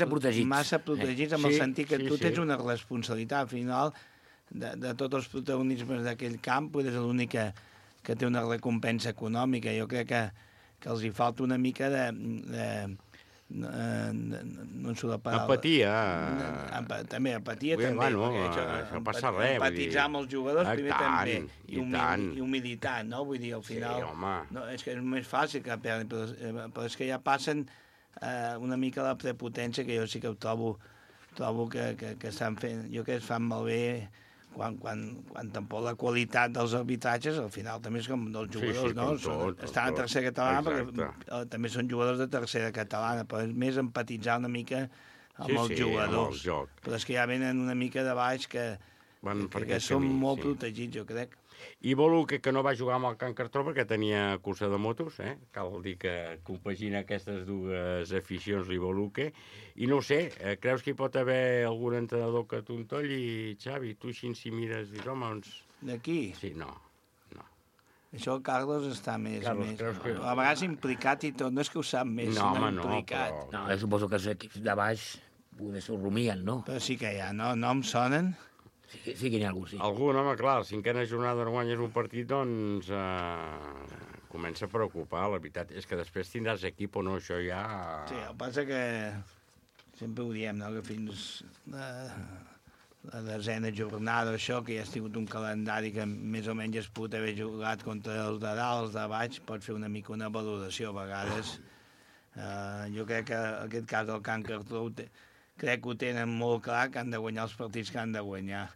protegits. Massa protegits, en el sentit que tu tens una responsabilitat, al final, de tots els protagonismes d'aquell camp, és l'únic que té una recompensa econòmica. Jo crec que els hi falta una mica de no en surt la paraula. Empatia. També, empatia també. Bueno, això passa res. Empatitzar amb els jugadors primer també. I humilitat, no? Vull dir, al final... Sí, home. No, és que és més fàcil que perdin, però és que ja passen una mica la prepotència, que jo sí que ho trobo que estan fent... Jo crec que es fan malbé quan tampoc la qualitat dels arbitratges, al final també és com dels jugadors, no? Estan a tercera catalana perquè també són jugadors de tercera catalana, però és més empatitzar una mica amb els jugadors. Però és que ja venen una mica de baix que són molt protegits, jo crec. I Boluque, que no va jugar amb el Can Cartró perquè tenia cursa de motos, cal dir que compagina aquestes dues aficions, l'Iboluque. I no ho sé, creus que hi pot haver algun entrenador que t'untolli, Xavi? Tu així si mires, dius, home, D'aquí? Sí, no. Això el Carlos està més... A vegades implicat i tot, no és que ho sap més, sinó implicat. No, jo suposo que els equips de baix poder s'ho rumien, no? Però sí que hi ha, no? Noms sonen? Sí que n'hi ha algú, sí. Algun, home, clar, la cinquena jornada no guanyes un partit, doncs comença a preocupar. La veritat és que després tindràs equip o no, això ja... Sí, el que passa que sempre ho diem, no?, que fins la desena jornada, això, que ja has tingut un calendari que més o menys has pogut haver jugat contra els de dalt, els de baix, pots fer una mica una valoració a vegades. Jo crec que en aquest cas el Can Cartró crec que ho tenen molt clar, que han de guanyar els partits que han de guanyar.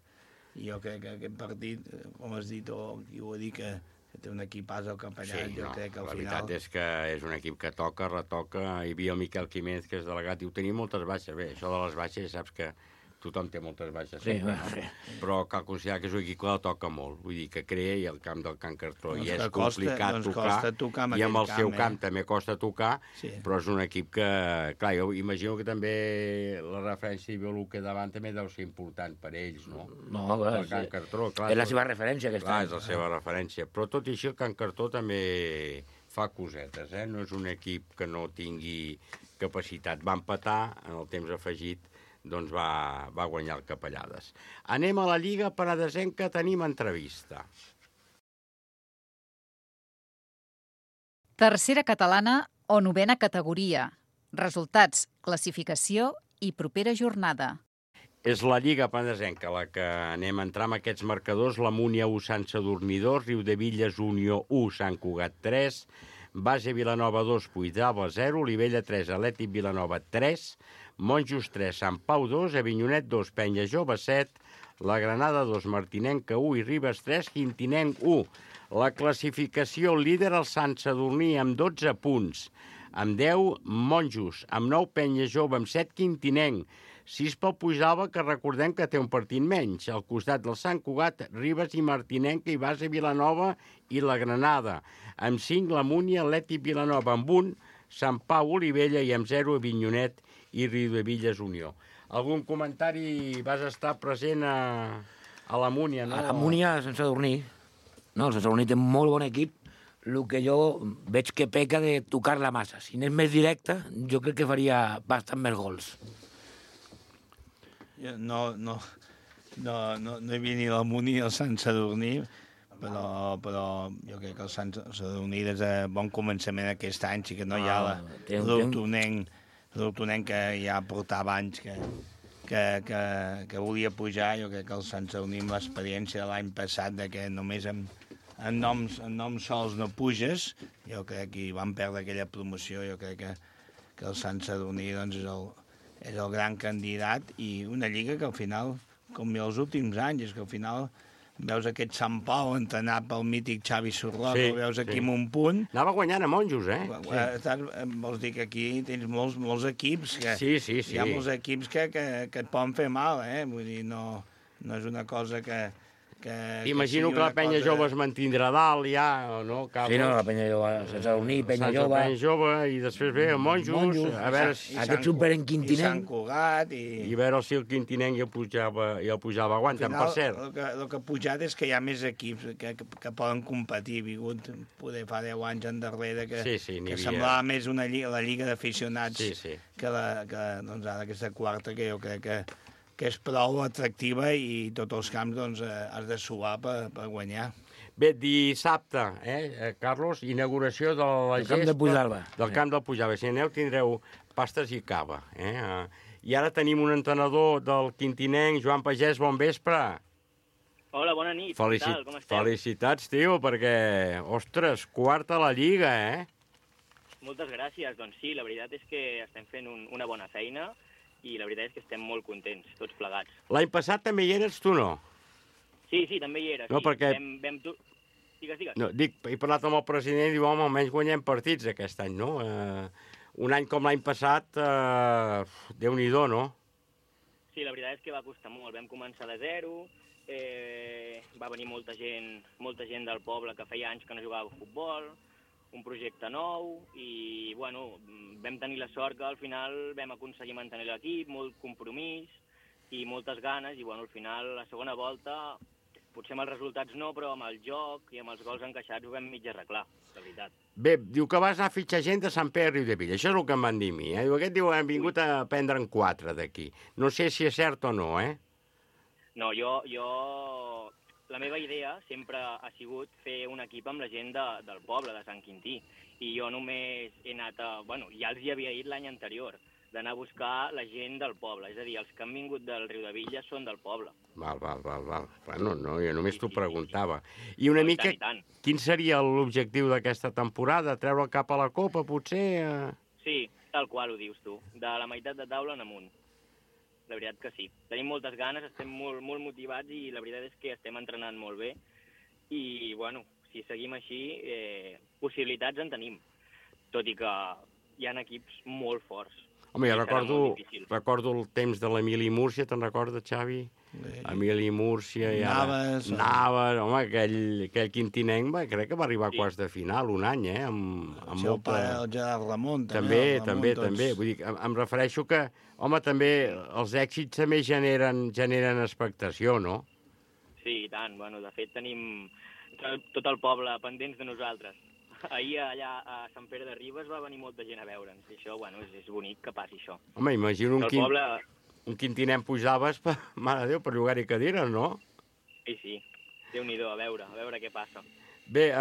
I jo crec que aquest partit, com has dit, o qui ho ha dit, que té un equipàs al Capellat, jo crec que al final... La veritat és que és un equip que toca, retoca. Hi havia el Miquel Quiménez, que és delegat, i ho tenia moltes baixes. Bé, això de les baixes, saps que tothom té moltes baixes. Sí. Però cal considerar que és un equip que la toca molt. Vull dir, que crea i el camp del Can Cartró. I és complicat tocar. I amb el seu camp també costa tocar, però és un equip que... Clar, jo imagino que també la referència de Boluque davant també deu ser important per ells, no? No, clar, el Can Cartró, clar, és la seva referència, aquesta. Clar, és la seva referència. Però tot i així el Can Cartró també fa cosetes, No és un equip que no tingui capacitat. Va empatar en el temps afegit, doncs va guanyar el Capellades. Anem a la Lliga Penedesenca, tenim entrevista. Tercera catalana o novena categoria. Resultats, classificació i propera jornada. És la Lliga Penedesenca la que anem a entrar amb aquests marcadors. La Múnia 1, Sant Sadurní 2, Riudevilles Unió 1, Sant Cugat 3, Base Vilanova 2, Puigdàlber 0, Olivella 3, Atlètic Vilanova 3, Monjos 3, Sant Pau 2, Avinyonet 2, Penya Jove 7, la Granada 2, Martinenca 1 i Ribes 3, Quintinenc 1. La classificació líder el Sant Sadurní amb 12 punts, amb 10 Monjos, amb 9 Penya Jove, amb 7 Quintinenc, 6 pel Puigdàlber, que recordem que té un partit menys, al costat del Sant Cugat, Ribes i Martinenca i Base Vilanova i la Granada, amb 5 la Múnia, Atlètic Vilanova, amb 1 Sant Pau, Olivella i amb 0 Avinyonet i Riudevilles Unió. Algun comentari? Vas estar present a la Múnia, no? A la Múnia, Sant Sadurní. No, el Sant Sadurní té un molt bon equip. El que jo veig que peca de tocar la massa. Si n'és més directa, jo crec que faria bastant més gols. No hi havia ni la Múnia ni el Sant Sadurní, però jo crec que el Sant Sadurní des de bon començament aquest any sí que no hi ha l'Hortonenc que ja portava anys que volia pujar. Jo crec que el Sant Sadurní, amb l'experiència de l'any passat, de que només en noms sols no puges, jo crec que van perdre aquella promoció. Jo crec que el Sant Sadurní doncs, és el gran candidat, i una lliga que al final, com els últims anys, és que al final veus aquest Sant Pau entrenat pel mític Xavi Sorroca, el veus aquí amb un punt. Anava guanyant a Monjos, Vols dir que aquí tens molts equips, que sí. Hi ha molts equips que et poden fer mal, Vull dir, no és una cosa que Imagino que la Penya Jove es mantindrà dalt ja, no? Sí, no, la Penya Jove, Sant Sadurní, Penya Jove... Penya Jove, i després ve el Monjos, a veure si... Aquest super en Quintinenc... I Sant Cugat, i veure si el Quintinenc i el Pujava aguanten, per cert. El que ha pujat és que hi ha més equips que poden competir. Ha vingut poder fa 10 anys endarrere que semblava més la lliga d'aficionats que ara aquesta quarta, que jo crec que és prou atractiva, i tots els camps doncs, has de suar per guanyar. Bé, dissabte, Carlos, inauguració de la camp de Puigdàlber. Del camp del Puigdàlber. Si aneu tindreu pastes i cava. I ara tenim un entrenador del Quintinenc, Joan Pagès, bon vespre. Hola, bona nit. Com esteu? Felicitats, tio, perquè, ostres, quarta a la Lliga, Moltes gràcies. Doncs sí, la veritat és que estem fent una bona feina, i la veritat és que estem molt contents, tots plegats. L'any passat també hi eres, tu no? Sí, també hi era. No, sí. perquè... Digues. No, dic, he parlat amb el president i diu, home, almenys guanyem partits aquest any, no? Un any com l'any passat, Déu-n'hi-do, no? Sí, la veritat és que va costar molt. Vam començar de zero, va venir molta gent del poble que feia anys que no jugava a futbol, un projecte nou, i, bueno, vam tenir la sort que al final vam aconseguir mantenir l'equip, molt compromís i moltes ganes, i, bueno, al final, la segona volta, potser amb els resultats no, però amb el joc i amb els gols encaixats ho vam mig arreglar, la veritat. Bé, diu que vas anar a fitxar gent de Sant Pere de Riudebitlles. Això és el que em van dir a mi. Diu, aquest diu, hem vingut a prendre'n 4 d'aquí. No sé si és cert o no, No, la meva idea sempre ha sigut fer un equip amb la gent del poble, de Sant Quintí. I jo només he anat ja els hi havia dit l'any anterior, d'anar a buscar la gent del poble. És a dir, els que han vingut del Riudebitlles són del poble. Val. Bueno, no, jo només t'ho preguntava. I una mica, quin seria l'objectiu d'aquesta temporada? Treure el cap a la copa, potser? Sí, tal qual ho dius tu. De la meitat de taula en amunt. La veritat que sí. Tenim moltes ganes, estem molt motivats i la veritat és que estem entrenant molt bé. I, bueno, si seguim així, possibilitats en tenim. Tot i que hi ha equips molt forts. Home, jo recordo el temps de l'Emili Múrcia, te'n recordes, Xavi? Emili Múrcia i Navas, home, aquell quintinenc, crec que va arribar a quarts de final un any, amb el seu pare, el Gerard Ramon, també. Vull dir, em refereixo que, home, també els èxits també generen expectació, no? Sí, i tant. Bueno, de fet, tenim tot el poble pendents de nosaltres. Ahir allà a Sant Pere de Ribes va venir molta gent a veure'ns, i això, bueno, és bonic que passi això. Home, imagino un quintinent pujaves, mare de Déu, per llogar-hi cadires, no? Sí, Déu-n'hi-do, a veure què passa. Bé,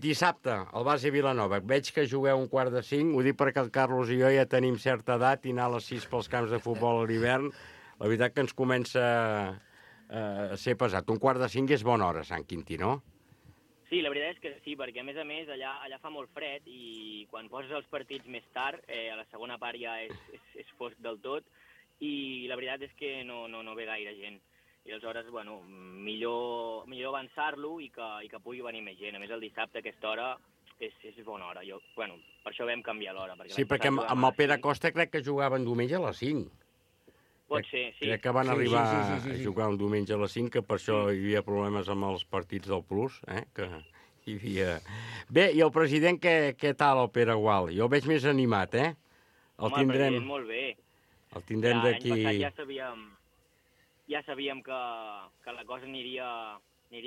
dissabte, al base Vilanova. Veig que jugueu 4:45, ho dic perquè el Carlos i jo ja tenim certa edat i anar a les 6 pels camps de futbol a l'hivern, la veritat que ens comença a ser pesat. 4:45 és bona hora, Sant Quintí, no? Sí, la veritat és que sí, perquè a més allà fa molt fred i quan poses els partits més tard, a la segona part ja és fosc del tot i la veritat és que no ve gaire gent. I aleshores, bueno, millor avançar-lo i que pugui venir més gent. A més, el dissabte a aquesta hora és bona hora. Per això vam canviar l'hora. Sí, perquè amb el Pere Costa crec que jugaven diumenge a les 5. Pot ser, sí. Crec que van arribar a jugar un diumenge a les 5, que per això hi havia problemes amb els partits del Plus, que hi havia... Bé, i el president, què tal, el Pere Gual? Jo el veig més animat, Home, el president molt bé. El tindrem d'aquí... L'any passat ja sabíem que la cosa aniria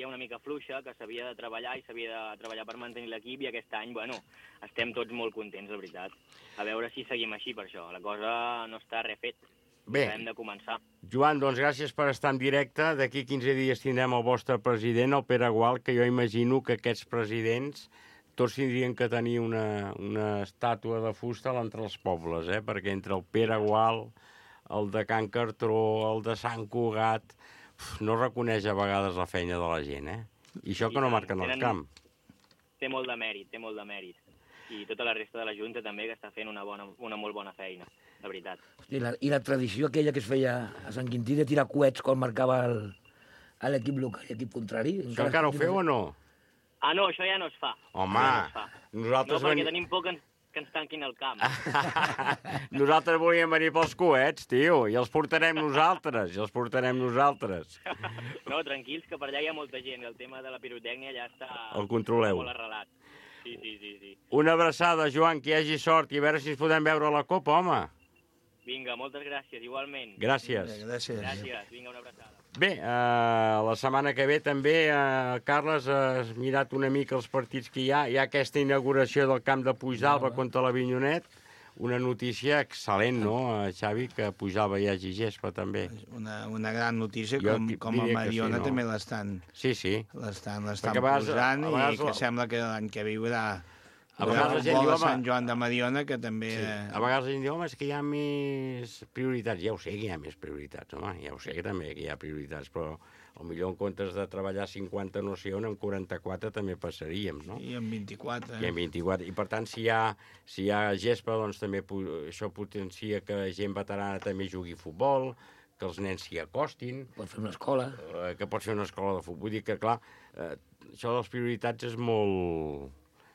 una mica fluixa, que s'havia de treballar i s'havia de treballar per mantenir l'equip, i aquest any, bueno, estem tots molt contents, la veritat. A veure si seguim així per això. La cosa no està res fet. Bé, hem de començar. Joan, doncs gràcies per estar en directe. D'aquí 15 dies tindrem el vostre president, el Pere Gual, que jo imagino que aquests presidents tots tindrien que tenir una estàtua de fusta entre els pobles, perquè entre el Pere Gual, el de Can Cartró, el de Sant Cugat, no reconeix a vegades la feina de la gent, I això que no marquen el camp. Té molt de mèrit. I tota la resta de la Junta també, que està fent una molt bona feina, la veritat. I la tradició aquella que es feia a Sant Quintí de tirar coets quan marcava l'equip local i l'equip contrari. Això encara ho feu o no? Ah, no, això ja no es fa. Home, nosaltres... No, perquè tenim por que ens tanquin el camp. Nosaltres volíem venir pels coets, tio, i els portarem nosaltres, No, tranquils, que per allà hi ha molta gent. El tema de la pirotècnia ja està... El controleu. Molt arrelat. Sí. Una abraçada, Joan, que hi hagi sort i a veure si ens podem veure a la Copa, home. Vinga, moltes gràcies, igualment. Gràcies. Gràcies, vinga, una abraçada. Bé, la setmana que ve també, Carles, has mirat una mica els partits que hi ha. Hi ha aquesta inauguració del camp de Puigdàlber contra l'Avinyonet. Una notícia excel·lent, no, Xavi, que a Puigdàlber hi hagi gespa, també. Una gran notícia, com a Mariona també l'estan posant, i que sembla que l'any que ve hi haurà el vol de Sant Joan de Mariona, que també... A vegades la gent diu, home, és que hi ha més prioritats. Ja ho sé que hi ha més prioritats, home, ja ho sé que també hi ha prioritats, però potser en comptes de treballar 50 no sé on, en 44 també passaríem, no? I en 24. I en 24. I per tant, si hi ha gespa, doncs també això potencia que gent veterana també jugui futbol, que que els nens s'hi acostin. Pots fer una escola. Que pots fer una escola de futbol. Vull dir que, clar, això de les prioritats és molt...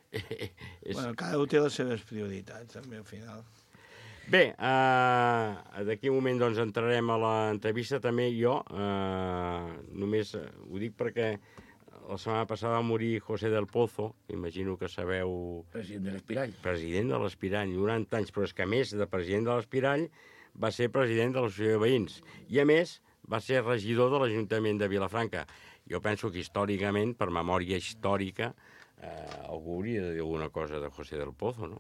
Bueno, cada un té les seves prioritats, també, al final. Bé, d'aquí un moment doncs, entrarem a l'entrevista també jo. Només ho dic perquè la setmana passada va morir José del Pozo, imagino que sabeu... President de l'Espirall. President de l'Espirall, 90 anys, però és que a més de president de l'Espirall va ser president de l'Associació de Veïns i a més va ser regidor de l'Ajuntament de Vilafranca. Jo penso que històricament, per memòria històrica, algú hauria de dir alguna cosa de José del Pozo, no?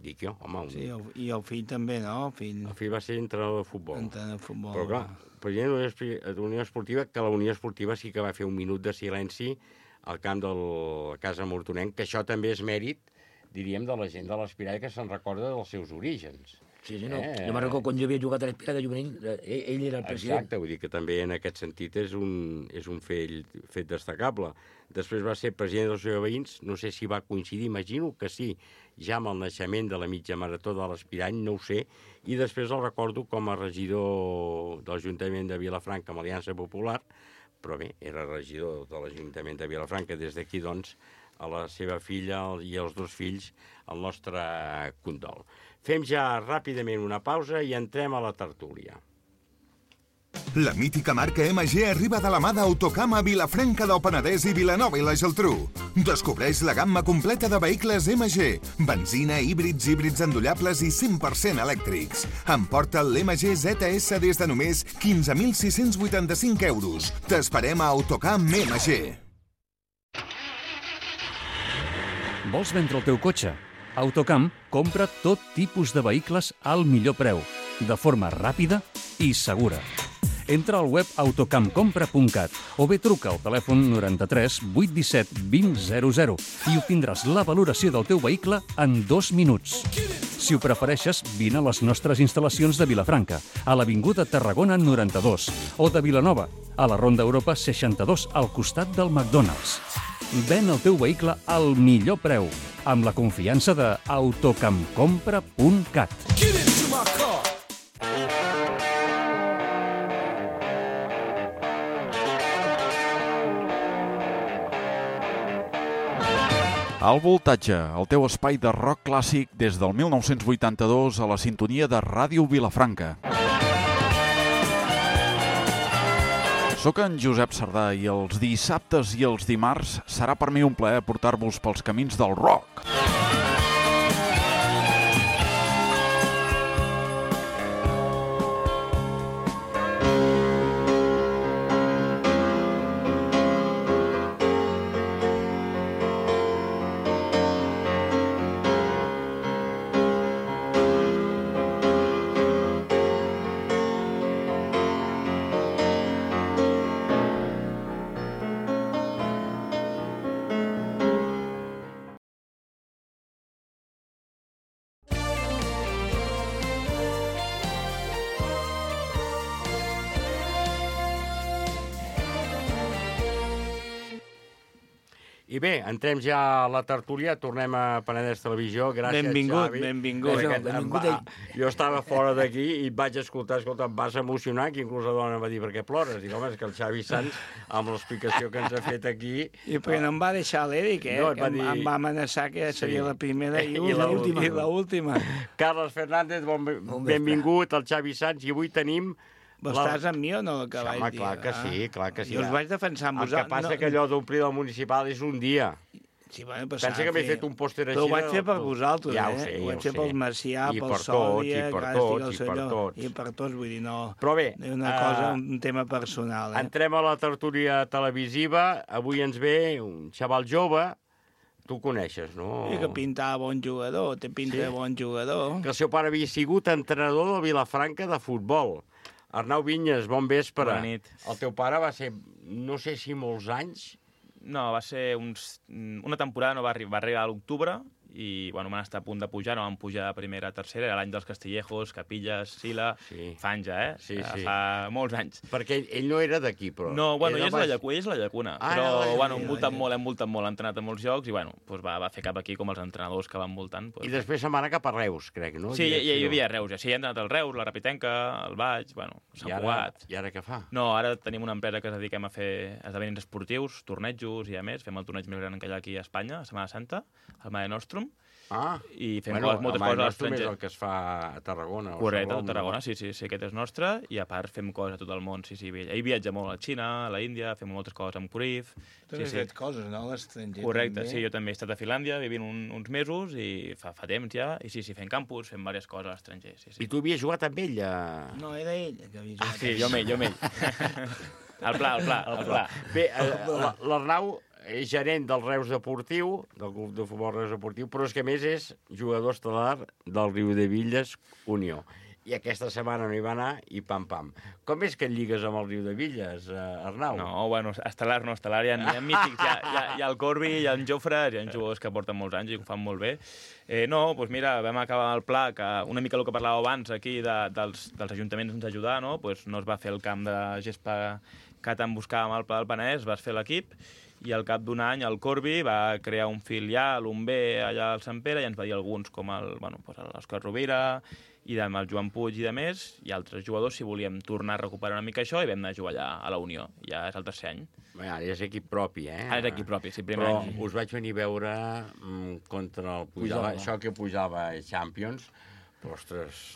Dic jo, home... Sí, i el fill també, no? El fill va ser entrenador de futbol. Entrenador de futbol. Però clar, president de la Unió Esportiva, que la Unió Esportiva sí que va fer un minut de silenci al camp de la Casa Mortonenc, que això també és mèrit, diríem, de la gent de l'Espirall que se'n recorda dels seus orígens. Sí, no. Jo me'n recordo quan jo havia jugat a l'Espirall de juvenil, ell era el president. Exacte, vull dir que també en aquest sentit és un fet destacable. Després va ser president de l'Associació de Veïns, no sé si va coincidir, imagino que sí, ja amb el naixement de la mitja marató de l'Espirall, no ho sé, i després el recordo com a regidor de l'Ajuntament de Vilafranca amb Aliança Popular, però bé, era regidor de l'Ajuntament de Vilafranca. Des d'aquí, doncs, a la seva filla i als dos fills, el nostre condol. Fem ja ràpidament una pausa i entrem a la tertúlia. La mítica marca MG arriba de la mà d'Autocam a Vilafranca del Penedès i Vilanova i la Geltrú. Descobreix la gamma completa de vehicles MG, benzina, híbrids endollables i 100% elèctrics. Emporta l'MG ZS des de només 15.685 euros. T'esperem a Autocam MG. Vols vendre el teu cotxe? Autocam compra tot tipus de vehicles al millor preu, de forma ràpida i segura. Entra al web autocamcompra.cat o bé truca al telèfon 93 817 2000 i obtindràs la valoració del teu vehicle en 2 minuts. Si ho prefereixes, vine a les nostres instal·lacions de Vilafranca, a l'Avinguda Tarragona 92, o de Vilanova, a la Ronda Europa 62, al costat del McDonald's. Ven el teu vehicle al millor preu, amb la confiança de autocamcompra.cat. Al Voltatge, el teu espai de rock clàssic des del 1982 a la sintonia de Ràdio Vilafranca. Soc en Josep Sardà i els dissabtes i els dimarts serà per mi un plaer portar-vos pels camins del rock. I bé, entrem ja a la tertúlia, tornem a Penedès Televisió. Gràcies, benvingut, Xavi. Benvingut. Jo estava fora d'aquí i et vaig escoltar, em vas emocionar, que inclús la dona em va dir, per què plores? Dic, home, és que el Xavi Sans, amb l'explicació que ens ha fet aquí... I perquè no em va deixar l'Eric, No, que em va amenaçar que seria la primera i l'última. Carles Fernández, benvingut al Xavi Sans, i avui tenim... Estàs amb mi o no, que vaig dir? Clar que sí. Jo us vaig defensar amb vosaltres. El que passa que allò d'omplir del municipal és un dia. Sí, bueno, pensa que m'he fet un pòster així... Però ho vaig fer per vosaltres, ja ho sé, ho vaig fer pel Macià, pel Sòlia, i per tots, vull dir, no... Però bé... Una cosa, un tema personal. Entrem a la tertúlia televisiva. Avui ens ve un xaval jove. Tu coneixes, no? I que pintava bon jugador, té pinta de bon jugador. Que el seu pare havia sigut entrenador del Vilafranca de futbol. Arnau Vinyes, bon vespre. Bona nit. El teu pare va ser, no sé si molts anys... No, va ser una temporada, no va arribar a l'octubre i bueno, van estar a punt de pujar, no van pujar de primera a tercera, era l'any dels Castillejos, Capillas, Sila, fa anys ja, fa molts anys. Perquè ell no era d'aquí, però... No, bueno, ell és la Llacuna, però bueno, hem voltat molt, ha entrenat a molts llocs i bueno, va fer cap aquí com els entrenadors que van voltant. I després se'n va anar cap a Reus, crec, no? Sí, ja hi havia Reus, sí, he entrenat al Reus, la Rapitenca, el Baix, bueno, Sant Cugat. I ara què fa? No, ara tenim una empresa que ens dediquem a fer esdeveniments esportius, tornejos i a més, fem el torneig més gran que hi ha aquí a Espanya, a Setmana Santa, al Mare Nostrum, i fem moltes coses a l'estranger. És el que es fa a Tarragona. Correcte, a Tarragona, sí, aquest és nostre, i a part fem coses a tot el món, sí. Ell viatja molt a la Xina, a la Índia, fem moltes coses amb Cruyff. Tu has fet coses, no, a l'estranger? Correcte, sí, jo també he estat a Finlàndia vivint uns mesos, i fa temps ja, i sí, fem campus, fem diverses coses a l'estranger, sí. I tu havies jugat amb ell? No, era ell que havia jugat. Sí, jo amb ell. El pla. Bé, l'Arnau és gerent del Reus Deportiu, del club de futbol Reus Deportiu, però és que a més és jugador estel·lar del Riudebitlles Unió. I aquesta setmana no hi va anar i pam. Com és que et lligues amb el Riudebitlles, Arnau? No, bueno, estel·lar, hi ha mítics, hi ha el Corbi, hi ha en Jofre, hi ha jugadors que porten molts anys i ho fan molt bé. No, doncs mira, vam acabar el pla, que una mica el que parlàveu abans aquí dels ajuntaments ens ajudar, no? Pues no es va fer el camp de gespa que tant buscàvem al Pla del Penedès, vas fer l'equip, i al cap d'un any el Corbi va crear un filial, un B, allà al Sant Pere, i ens va dir alguns, com l'Òscar Rovira, i el Joan Puig i de més, i altres jugadors, si volíem tornar a recuperar una mica això, i vam anar a jugar allà a la Unió. Ja és el tercer any. Bé, ara és equip propi, Ara és equip propi, sí, primer any. Però us vaig venir a veure contra el Pujava, això que pujava a Champions. Ostres,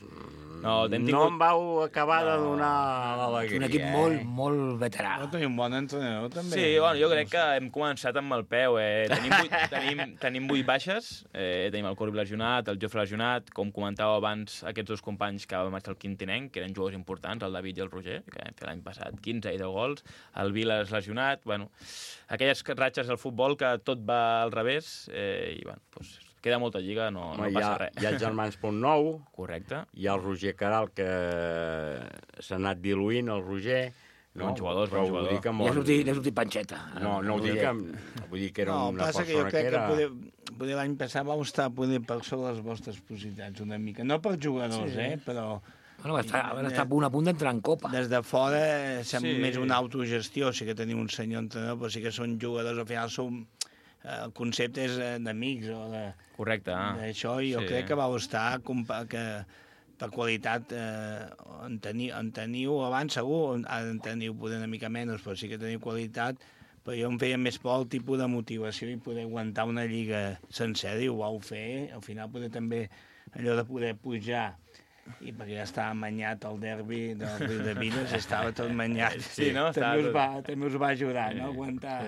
no em vau acabar de donar l'alegria. Un equip molt veterà. No, tenim un bon entrenador, també. Sí, bueno, jo crec que hem començat amb el peu. Tenim 8 baixes, tenim el Corbi lesionat, el Jofre lesionat, com comentàveu abans, aquests dos companys que van marxar al Quintinenc, que eren jugadors importants, el David i el Roger, que vam fer l'any passat 15 i 10 gols, el Vilas lesionat, bueno, aquelles ratxes del futbol que tot va al revés, i bueno, doncs queda molta lliga, no passa res. Hi ha els germans Pontnou. Correcte. Hi ha el Roger Caral, que s'ha anat diluint, el Roger. Bons jugadors. N'ha sortit panxeta. No ho dic, vull dir que era una persona que era... No, passa que jo crec que poder l'any passat vau estar per sobre les vostres possibilitats una mica. No per jugadors, però... Bueno, van estar a punt d'entrar en Copa. Des de fora sembla més una autogestió, sí que tenim un senyor entrenador, però sí que són jugadors, al final som... El concepte és d'amics o de... Correcte. D'això, i jo crec que vau estar que per qualitat en teniu abans segur, ara en teniu poder una mica menys, però sí que teniu qualitat, però jo em feia més por el tipus de motivació i poder aguantar una lliga sencera, i ho vau fer, al final poder també allò de poder pujar, i perquè ja estava manyat el derbi del Riudebitlles, estava tot manyat. Sí, no? També us va ajudar, no?, aguantar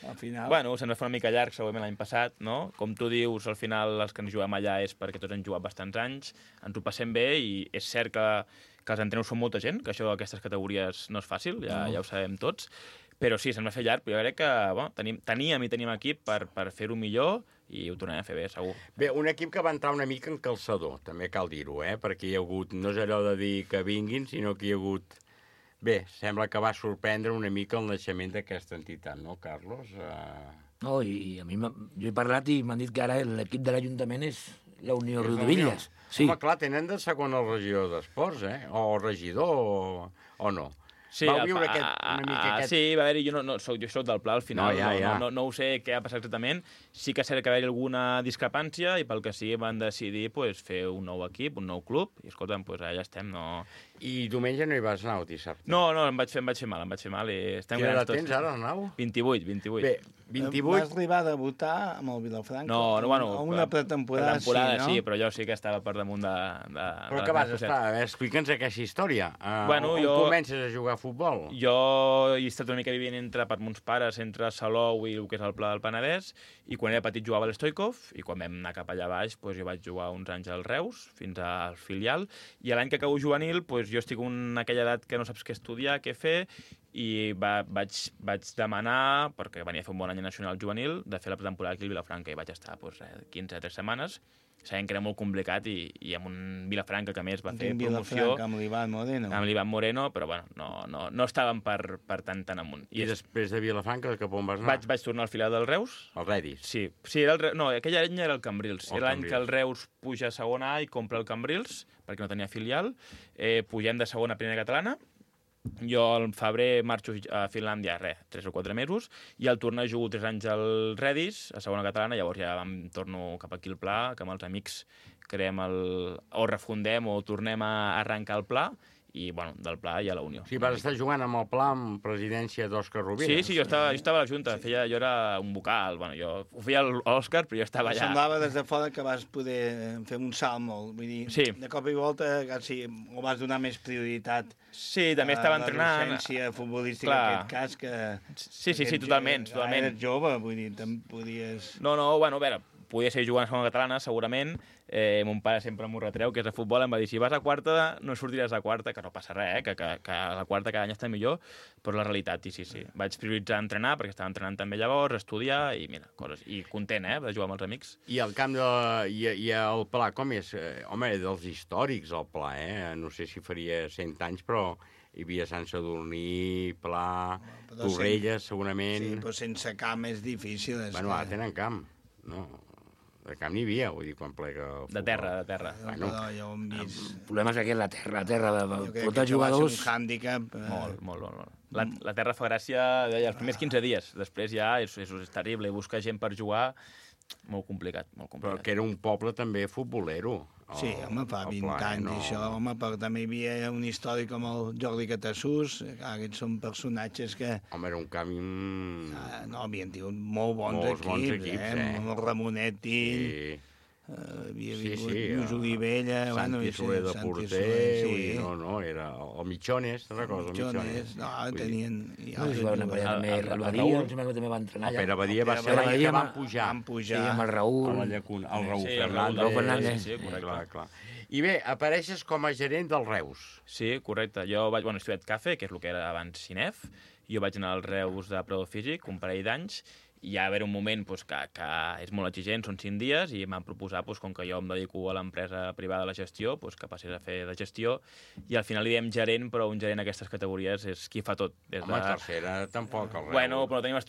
al final. Bueno, se'ns va fer una mica llarg, segurament l'any passat, no? Com tu dius, al final els que ens juguem allà és perquè tots hem jugat bastants anys, ens ho passem bé, i és cert que els entrenadors són molta gent, que això d'aquestes categories no és fàcil, ja ho sabem tots, però sí, se'ns va fer llarg, però jo crec que teníem equip per fer-ho millor, i ho tornarem a fer bé, segur. Bé, un equip que va entrar una mica en calçador, també cal dir-ho, perquè hi ha hagut, no és allò de dir que vinguin, sinó que hi ha hagut... Bé, sembla que va sorprendre una mica el naixement d'aquesta entitat, no, Carlos? No, i a mi jo he parlat i m'han dit que ara l'equip de l'Ajuntament és la Unió Riudebitlles. Sí. Home, clar, tenen de segon el regidor d'Esports, o regidor, o no? Sí, Vau viure una mica aquest... Sí, va haver-hi, jo soc del Pla al final, no ho sé què ha passat exactament. Sí que és cert que va haver-hi alguna discrepància i pel que sí van decidir fer un nou equip, un nou club, i escolta'm, allà estem, no... I diumenge no hi vas anar o dissabte? No, em vaig fer mal, i estem grans tots. Quina edat tens ara, Arnau? 28. Bé, 28... Vas arribar a debutar amb el Vilafranca? No, bueno... Una pretemporada, sí, però jo sí que estava per damunt de... Però què vas estar? Explica'ns aquesta història. On comences a jugar a futbol? Jo he estat una mica vivint per mons pares, entre Salou i el que és el Pla del Penedès, i quan era petit jugava a l'Stoikov, i quan vam anar cap allà baix jo vaig jugar uns anys al Reus, fins al filial, i l'any que acabo juvenil, jo estic en aquella edat que no saps què estudiar, què fer, i vaig demanar, perquè venia a fer un bon any nacional juvenil, de fer la pretemporada aquí al Vilafranca, i vaig estar 15 3 setmanes, sabem que era molt complicat i amb un Vilafranca que a més va fer promoció... Vilafranca, amb l'Ivan Moreno. Amb l'Ivan Moreno, però bueno, no estaven per tan amunt. I després de Vilafranca, cap on vas anar? Vaig tornar al filial del Reus. El Redis? Sí, no, aquell any era el Cambrils. Era l'any que el Reus puja a segona A i compra el Cambrils, perquè no tenia filial. Pugem de segona a primera catalana. Jo al febrer marxo a Finlàndia, 3 o 4 mesos, i al tornar jugo 3 anys al Redis, a segona catalana, llavors ja torno cap aquí al Pla, que amb els amics creem o refundem o tornem a arrencar el Pla, i, bueno, del Pla i a la Unió. Sí, vas estar jugant amb el Pla amb presidència d'Òscar Rovira. Sí, jo estava a la Junta, jo era un vocal, bueno, jo ho feia l'Òscar, però jo estava allà. Semblava des de fora que vas poder fer un salt molt, vull dir, de cop i volta quasi ho vas donar més prioritat. Sí, també estava entrenant. La docència futbolística, en aquest cas, que... Sí, totalment. Eres jove, vull dir, te'n podies... No, bueno, a veure, podia ser jugant a segona catalana, segurament. Mon pare sempre m'ho retreu, que és de futbol, em va dir, si vas a quarta, no sortiràs a quarta, que no passa res, que a la quarta cada any està millor, però la realitat, sí. Vaig prioritzar entrenar, perquè estava entrenant també llavors, estudiar, i mira, coses. I content, de jugar amb els amics. I el camp i el Pla, com és? Home, dels històrics, el Pla, No sé si faria 100 anys, però hi havia Sant Sadurní, Pla, Torrelles, segurament... Sí, però sense camp és difícil. Bueno, ara tenen camp, no... De camp n'hi havia, vull dir, quan plega el futbol. De terra. Bueno, ja ho hem vist. El problema és que la terra jo crec que jugadors... va ser un hàndicap. Molt. La terra fa gràcia els primers 15 dies. Després ja és terrible. Buscar gent per jugar, molt complicat. Però que era un poble també futbolero. Sí, home, fa 20 anys i això, home, però també hi havia un històric com el Jordi Catassús, aquests són personatges que... Home, era un camp... No, havien tingut molt bons equips, el Ramonetti... Sí. Havia vingut Lluís Olivella... Santi Soler de porter... No, era el Mitjones, te'n recordes? El Mitjones, no, tenien... El Badia, em sembla que també va entrenar allà. El Pere Badia va ser l'any que van pujar. Sí, amb el Raül. El Raül Fernández. Sí, clar. I bé, apareixes com a gerent del Reus. Sí, correcte. Jo vaig estudiar CAFE, que és el que era abans CINEF. Jo vaig anar al Reus de Predador Físic, un parell d'anys, i hi ha d'haver un moment que és molt exigent, són 5 dies, i m'han proposat, com que jo em dedico a l'empresa privada de la gestió, que passés a fer de gestió, i al final li diem gerent, però un gerent d'aquestes categories és qui fa tot. Home, tercera tampoc, el Reus. Bueno, però no tenim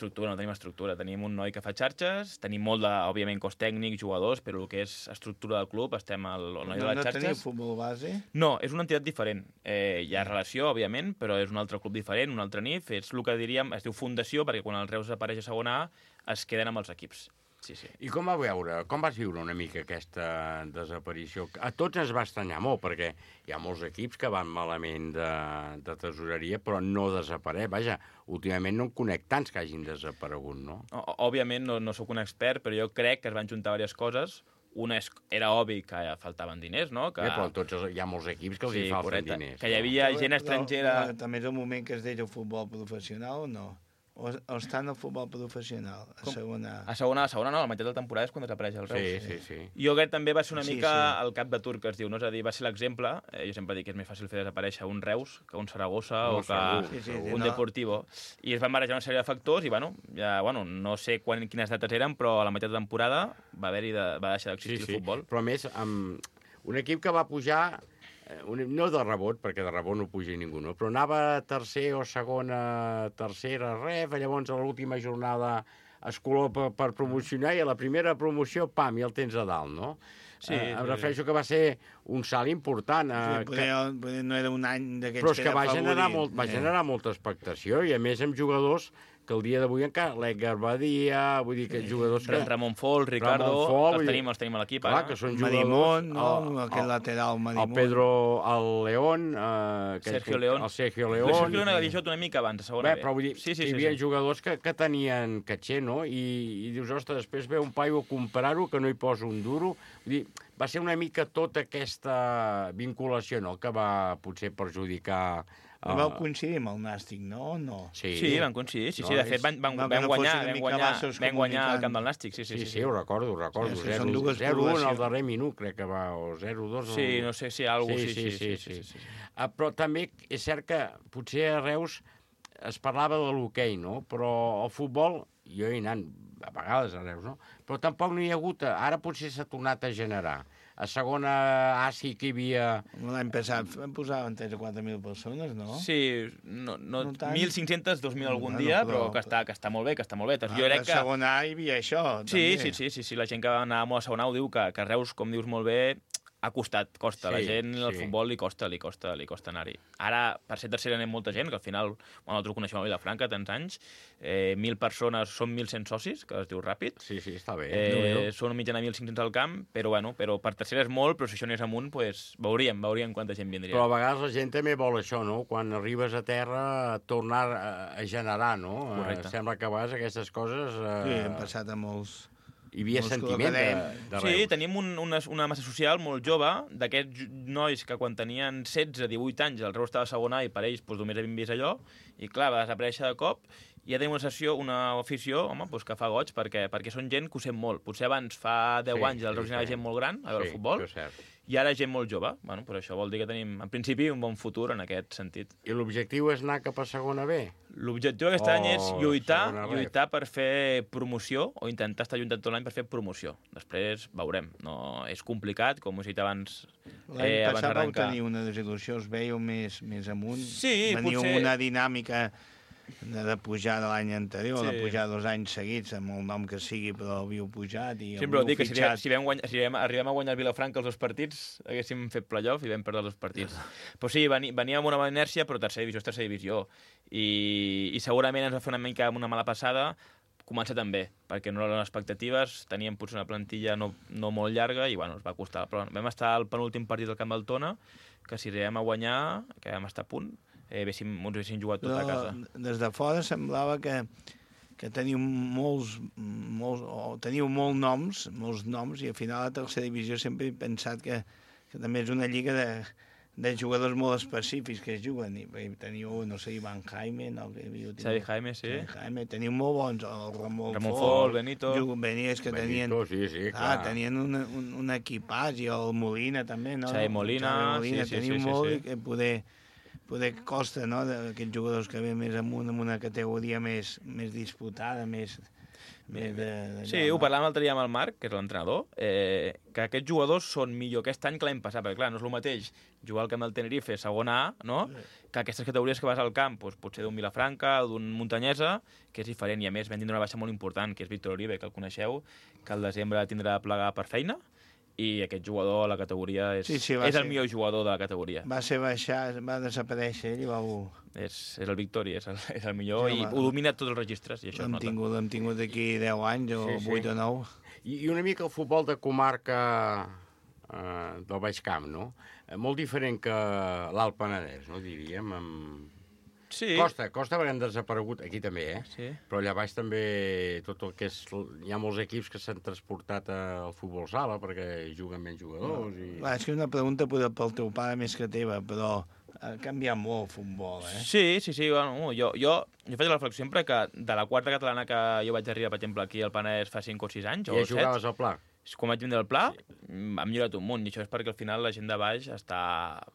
estructura. Tenim un noi que fa xarxes, tenim molt òbviament, cos tècnic, jugadors, però el que és estructura del club, estem al noi de les xarxes. No teniu futbol base? No, és una entitat diferent. Hi ha relació, òbviament, però és un altre club diferent, un altre NIF, és el que diríem, es diu fundació, perquè quan el Reus apareix a segona A, es queden amb els equips. Sí. I com vas viure una mica aquesta desaparició? A tots ens va estranyar molt, perquè hi ha molts equips que van malament de tesoreria, però no desapareix. Vaja, últimament no en conec tants que hagin desaparegut, no? Òbviament no sóc un expert, però jo crec que es van juntar diverses coses. Una era obvi que faltaven diners, no? Però hi ha molts equips que els hi falten diners. Que hi havia gent estrangera... També és un moment que es deia futbol professional o no? O està en el futbol professional, a segona... A segona no, a la meitat de la temporada és quan desapareix el Reus. Sí. Jo crec que també va ser una mica el cap de turc, que es diu, no? És a dir, va ser l'exemple, jo sempre dic que és més fàcil fer desaparèixer un Reus que un Saragossa o que un Deportivo. I es van barrejar una sèrie de factors i, no sé quines dates eren, però a la meitat de temporada va deixar d'existir el futbol. Però a més, un equip que va pujar... No de rebot, perquè de rebot no puja ningú, no? Però anava tercer o tercera ref, llavors a l'última jornada es color per promocionar i a la primera promoció, pam, i el tens a dalt, no? Sí. Em refereixo que va ser un salt important. No era un any d'aquests però és que va generar molta expectació i a més amb jugadors que el dia d'avui encara l'Edgar Badia, vull dir que jugadors que... Ramon Fol, Ricardo, els tenim a l'equip. Clar, que són Madimón, aquest lateral Madimón. El Pedro, el León... Sergio León. El Sergio León. El Sergio León havia jugat una mica abans, a segona B. Però vull dir, hi havia jugadors que tenien caché, no? I dius, ostres, després ve un paio a comparar-ho, que no hi posa un duro. Vull dir, va ser una mica tota aquesta vinculació, no?, que va potser perjudicar... Vau coincidir amb el Nàstic, no? Sí, van coincidir. Sí, de fet, vam guanyar el camp del Nàstic. Sí, ho recordo. 0-1 al darrer minut, crec que va, o 0-2. Sí, no sé si alguna cosa... Sí. Però també és cert que potser a Reus es parlava de l'hoquei, no? Però el futbol jo he anat a vegades a Reus, no? Però tampoc no hi ha hagut... Ara potser s'ha tornat a generar. A segona A sí que hi havia... L'any passat vam posar 3 o 4.000 persones, no? Sí, no 1.500, 2.000 algun dia, però que està molt bé, que està molt bé. Jo crec que... A segona A hi havia això, també. Sí, la gent que va anar a segona A ho diu, que Reus, com dius molt bé, ha costat, costa. La gent, el futbol li costa anar-hi. Ara, per ser tercera anem molta gent, que al final, nosaltres ho coneixem a Vilafranca, tants anys, 1.000 persones, són 1.100 socis, que es diu ràpid. Sí, està bé. Són mitjana 1.500 al camp, però per tercera és molt, però si això anés amunt, veuríem quanta gent vindria. Però a vegades la gent també vol això, no? Quan arribes a terra, tornar a generar, no? Correcte. Sembla que a vegades aquestes coses... Sí, hem passat a molts... Hi havia sentiment de Reus. Sí, tenim una massa social molt jove, d'aquests nois que quan tenien 16-18 anys el Reus estava a segona i per ells només havien vist allò, i clar, va desaparèixer de cop, i ja tenim una afició, que fa goig, perquè són gent que ho sent molt. Potser abans, fa 10 anys, el Reus hi anava gent molt gran a veure el futbol, i ara gent molt jove. Per això vol dir que tenim, en principi, un bon futur en aquest sentit. I l'objectiu és anar cap a segona B? L'objectiu aquest any és lluitar per fer promoció, o intentar estar lluitant tot l'any per fer promoció. Després veurem. No, és complicat, com us he dit abans. L'any passat vau tenir una desil·lusió, us veieu més amunt? Sí, Veniu una dinàmica de pujar de l'any anterior, de pujar 2 anys seguits, amb el nom que sigui, però havíeu pujat i sempre ho dic, que si arribem a guanyar el Vilafranca els 2 partits, haguéssim fet playoff i vam perdre els 2 partits. Però sí, veníem amb una bona inèrcia, però tercera divisió és tercera divisió. I segurament ens va fer una mica una mala passada, començar també, perquè no eren les expectatives, teníem potser una plantilla no molt llarga i ens va costar. Però vam estar al penúltim partit del Camp del Tona, que si arribem a guanyar, que vam estar a punt, ens haguéssim jugat tot a casa. Des de fora semblava que teniu molts noms, i al final a la tercera divisió sempre he pensat que també és una lliga de jugadors molt específics que es juguen. Teniu, no sé, Iván Jaime... Xavi Jaime, sí. Teniu molt bons, el Ramon Fol, Benito... Benito, que tenien... Sí, clar. Tenien un equipàs, i el Molina també, no? Xavi Molina, teniu molt, i poder costa, no?, d'aquests jugadors que ve més amunt, en una categoria més disputada, més Sí, ho parlàvem l'altre dia amb el Marc, que és l'entrenador, que aquests jugadors són millor aquest any que l'any passat, perquè clar, no és el mateix jugar al camp del Tenerife, segona A, no?, que aquestes categories que vas al camp, potser d'un Vilafranca o d'un Muntanyesa, que és diferent, i a més vam tindre una baixa molt important, que és Víctor Oribe, que el coneixeu, que al desembre tindrà de plegar per feina, i aquest jugador a la categoria és el millor jugador de la categoria. Va ser baixar, va desaparèixer ell i És el Victori, és el millor, i ho domina tots els registres, i això es nota. L'hem tingut d'aquí 10 anys o 8 o 9. I una mica el futbol de comarca del Baix Camp, no? Molt diferent que l'Alt Penedès, no, diríem, Sí. Costa perquè han desaparegut, aquí també, Sí. Però allà baix també tot el que és... Hi ha molts equips que s'han transportat al futbol sala perquè juguen menys jugadors. És que una pregunta pel teu pare més que teva, però ha canviat molt el futbol, Sí, bueno, jo faig la reflexió sempre que de la quarta catalana que jo vaig arribar, per exemple, aquí al Penedès fa 5 o 6 anys, o 7... I jugaves al Pla? Quan vaig vindre al Pla, ha millorat un munt, i això és perquè al final la gent de baix està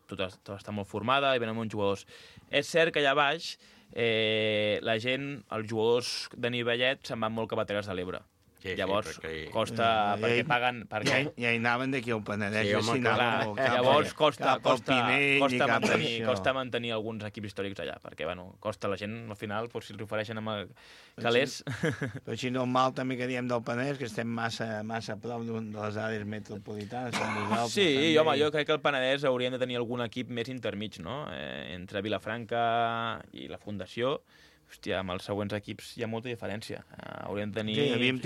molt formada i venen molts jugadors. És cert que allà baix la gent, els jugadors de nivellet, se'n van molt cap a Terres de l'Ebre. Llavors, costa, perquè paguen... Ja hi anaven d'aquí al Penedès. Llavors costa mantenir alguns equips històrics allà, perquè costa la gent, al final, si els ofereixen amb calés... Però si no mal també que diem del Penedès, que estem massa a prop de les àrees metropolitanes. Sí, home, jo crec que el Penedès hauríem de tenir algun equip més intermig, no? Entre Vilafranca i la Fundació... Hòstia, amb els següents equips hi ha molta diferència. Hauríem de tenir...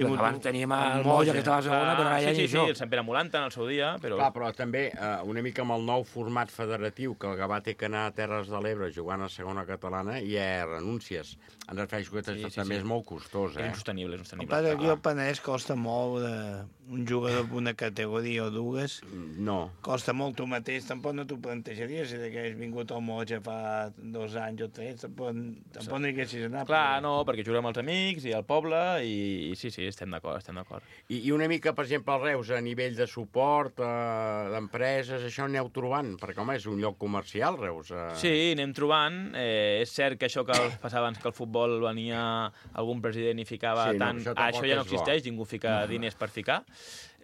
Abans teníem el Molla, que estava a segona, però ara ja Sí, el Sant Pere Molanta en el seu dia, però... Clar, però també una mica amb el nou format federatiu, que el Gavà té que anar a Terres de l'Ebre jugant a segona catalana, i renúncies. En refereixo que també és molt costós, És insostenible. El pas aquí al Penedès costa molt un jugador d'una categoria o dues, no. Costa molt tu mateix, tampoc no t'ho plantejaries, si que has vingut al Moja fa 2 anys o 3, tampoc no hi haguessis anat. Clar, no, perquè juguem amb els amics i al poble, i sí, estem d'acord. I una mica, per exemple, al Reus, a nivell de suport, d'empreses, això aneu trobant? Perquè, home, és un lloc comercial, Reus. Sí, anem trobant. És cert que això que passava abans que el futbol venia algun president i ficava tant... Això ja no existeix, ningú fica diners per ficar.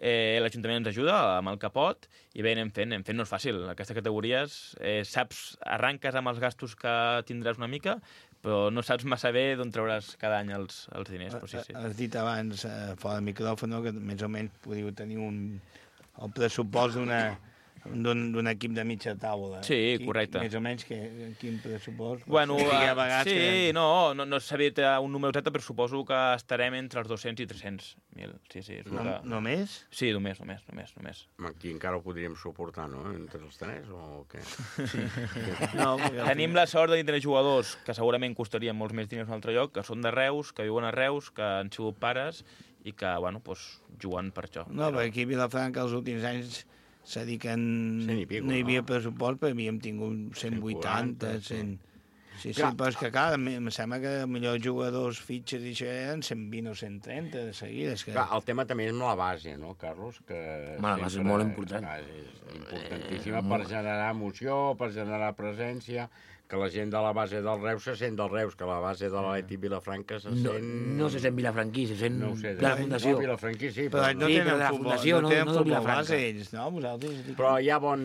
L'Ajuntament ens ajuda amb el capot i bé, anem fent, no és fàcil. Aquestes categories, saps, arranques amb els gastos que tindràs una mica, però no saps massa bé d'on trauràs cada any els diners. Però sí. Has dit abans, fora del micròfon, que més o menys podíeu tenir el pressupost d'un equip de mitja taula. Sí, correcte. Més o menys, quin pressupost? Bueno, sí, no sabia un número exacte, però suposo que estarem entre els 200 i 300.000. Sí. Només? Sí, només. Aquí encara ho podríem suportar, no?, entre els tres, o què? Sí. Tenim la sort de tenir jugadors que segurament costarien molts més diners en un altre lloc, que són de Reus, que viuen a Reus, que han sigut pares i que, juguen per això. No, perquè aquí a Vilafranca els últims anys s'ha dit que no hi havia pressupost, però havíem tingut 180, 100... Sí, però és que, clar, em sembla que millors jugadors, fitxes i això eren 120 o 130 de seguida. Clar, el tema també és la base, no, Carlos? La base és molt important. És importantíssima per generar emoció, per generar presència, que la gent de la base del Reus se sent del Reus, que la base de l'Atlètic Vilafranca se sent... No se sent vilafranquí, se sent de la Fundació. No, vilafranquí sí, però no tenen futbol base ells, no? Però hi ha bon...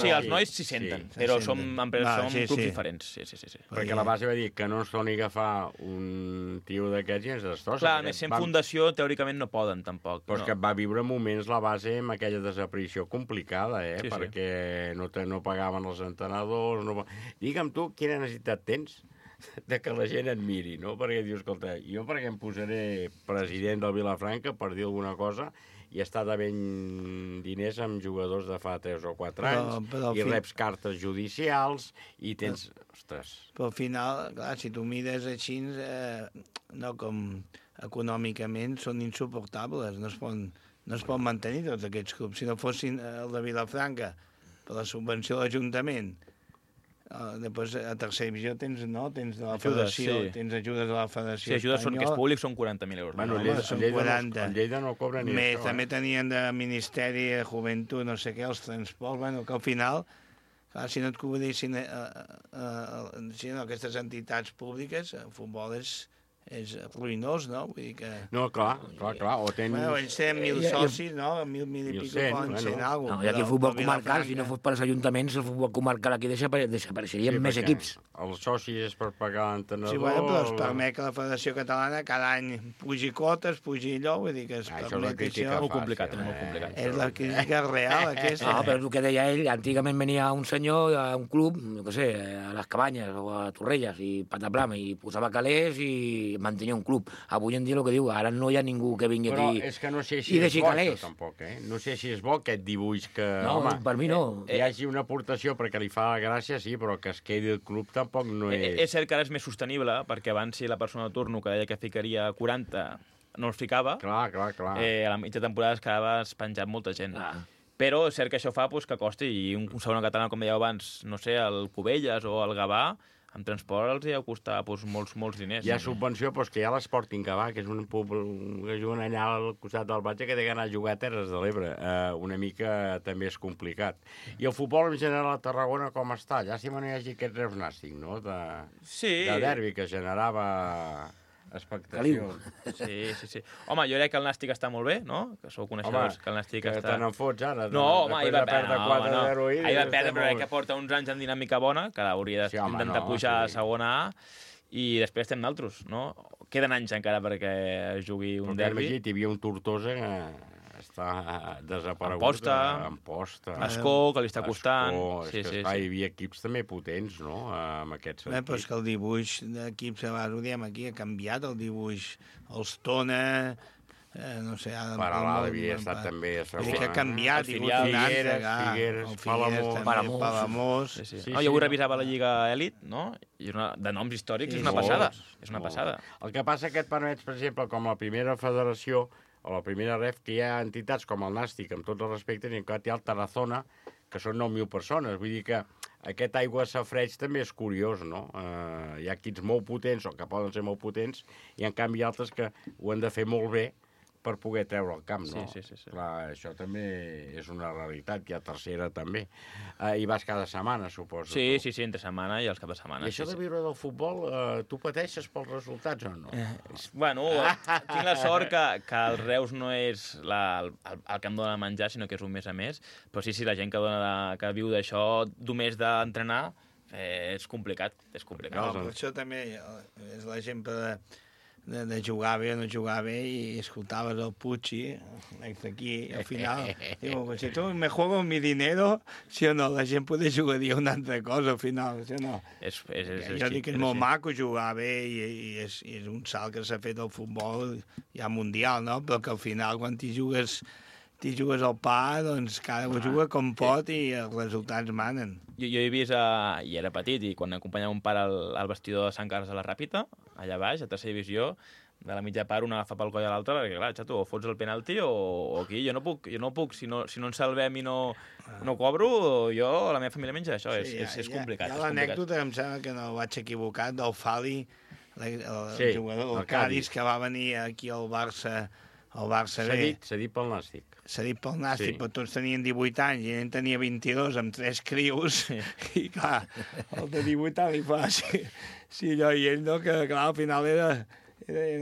Sí, els nois s'hi senten, però som clubs diferents. Sí. Perquè la base va dir que no es torni a agafar un tio d'aquests i ens destrossa. Clar, més sent fundació, teòricament no poden, tampoc. Però és que va viure moments la base amb aquella desaparició complicada, perquè no pagaven els entrenadors... Digue'm tu quina necessitat tens de que la gent et miri, no? Perquè dius, escolta, jo perquè em posaré president del Vilafranca per dir alguna cosa i està devent diners amb jugadors de fa 3 o 4 anys i reps cartes judicials i tens... Ostres. Però al final, clar, si tu mires així, no com econòmicament, són insuportables, no es poden mantenir tots aquests clubs. Si no fossin el de Vilafranca per la subvenció de l'Ajuntament, després a tercera divisió tens de la federació, tens ajudes de la federació espanyola. Sí, ajudes que és públic, són 40.000 euros. Bueno, són 40. En Lleida no cobra ni això. També tenien de Ministeri de Joventut, no sé què, els transports, que al final, si no et cobrissin aquestes entitats públiques, el futbol és ruïnós, no? Vull dir que... No, clar. O tens... Ells tenen 1.000 socis, no? 1.000 i pico poden ser en alguna cosa. No, i aquí el futbol comarcal, si no fos per als ajuntaments, el futbol comarcal aquí desapareixerien més equips. Els socis és per pagar l'entrenador... Sí, però es permet que la Federació Catalana cada any pugi quotes, pugi allò, vull dir que es permet això... Molt complicat, molt complicat. És la crítica real, aquesta. No, però és el que deia ell, antigament venia un senyor a un club, no sé, a les Cabanyes o a Torrelles, i pataplama, i posava calés i mantenia un club. Avui en dia el que diu, ara no hi ha ningú que vingui aquí... Però és que no sé si és bo això, tampoc, No sé si és bo aquest dibuix que... No, per mi no. Hi hagi una aportació perquè li fa la gràcia, sí, però que es quedi el club tampoc no és... És cert que ara és més sostenible, perquè abans si la persona de turno que deia que ficaria 40 no els ficava, clar. A la mitja temporada es quedava penjat molta gent. Però és cert que això fa que costi, i un segon català, com dèieu abans, no sé, el Cubelles o el Gavà, amb transport els hi ha costat molts diners. Hi ha subvenció, però és que hi ha l'Sporting Gavà, que és un que juguen allà al costat del Batge, que té que anar a jugar a Terres de l'Ebre. Una mica també és complicat. I el futbol en general a Tarragona com està? Llàstima no hi hagi aquest Reus Nàstic, no? De derbi que generava expectació. Sí. Home, jo crec que el Nàstic està molt bé, no? Que sou coneixedors que el Nàstic està... Te n'en fots ara. No, home, ahir va perdre 4-0. Ahir va perdre, però crec que porta uns anys amb dinàmica bona, que hauria d'intentar pujar a segona A, i després estem d'altres, no? Queden anys encara perquè es jugui un derbi. Hi havia un Tortosa que està desaparegut. Amposta. Escó, que li està costant. Hi havia equips també potents, no?, en aquest sentit. Però és que el dibuix d'equips, ho diem aquí, ha canviat el dibuix. Els Tona... no sé... Paralà havia estat també a segona. Que ha canviat. Figueres, Palamós... Jo avui revisava la Lliga Elit, no? I de noms històrics és una passada. El que passa que et permets, per exemple, com la primera federació, a la primera ref, que hi ha entitats com el Nàstic, amb tots els respectes, i en canvi hi ha el Tarazona, que són 9.000 persones. Vull dir que aquest aigua safareig també és curiós, no? Hi ha equips molt potents, o que poden ser molt potents, i en canvi altres que ho han de fer molt bé per poder treure el camp, no? Sí. Clar, això també és una realitat, hi ha tercera també. I vas cada setmana, suposo. Sí, entre setmana i els cap de setmana. I això de viure del futbol, tu pateixes pels resultats o no? Bueno, tinc la sort que el Reus no és el que em dona menjar, sinó que és un mes a més, però sí, la gent que viu d'això, només d'entrenar, és complicat. No, però això també és l'exemple de jugar bé o no jugar bé, i escoltaves el Pucci, l'ex d'aquí, i al final diu, si tu me juego mi dinero, sí o no, la gent pot jugar a dir una altra cosa al final, sí o no? Jo dic que és molt maco jugar bé, i és un salt que s'ha fet al futbol ja mundial, no? Però que al final quan t'hi jugues al pa, doncs cada un juga com pot i els resultats manen. Jo he vist, i era petit, i quan acompanyava un pare al vestidor de Sant Carles de la Ràpita, allà baix, a tercera divisió, de la mitja part un agafa pel coll a l'altre, perquè clar, xato, o fots el penalti o aquí, jo no puc, si no ens salvem i no cobro, jo, la meva família menja això, és complicat. Hi ha l'anècdota, em sembla que no vaig equivocar, del Fali, el jugador del Cádiz, que va venir aquí al Barça B. Cedit pel Nàstic. Cedit pel Nàstic, però tots tenien 18 anys i ell tenia 22 amb 3 crios, i clar, el de 18 anys li fa sí, allò, i ell no, que clar, al final era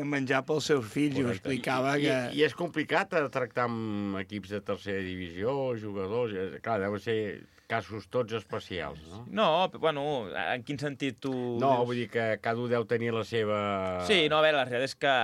menjar pels seus fills. Correcte. I ho explicava que... I és complicat tractar amb equips de tercera divisió, jugadors... Clar, deuen ser casos tots especials, no? No, bueno, en quin sentit tu... No, vull dir que cada un deu tenir la seva... Sí, no, a veure, la realitat és que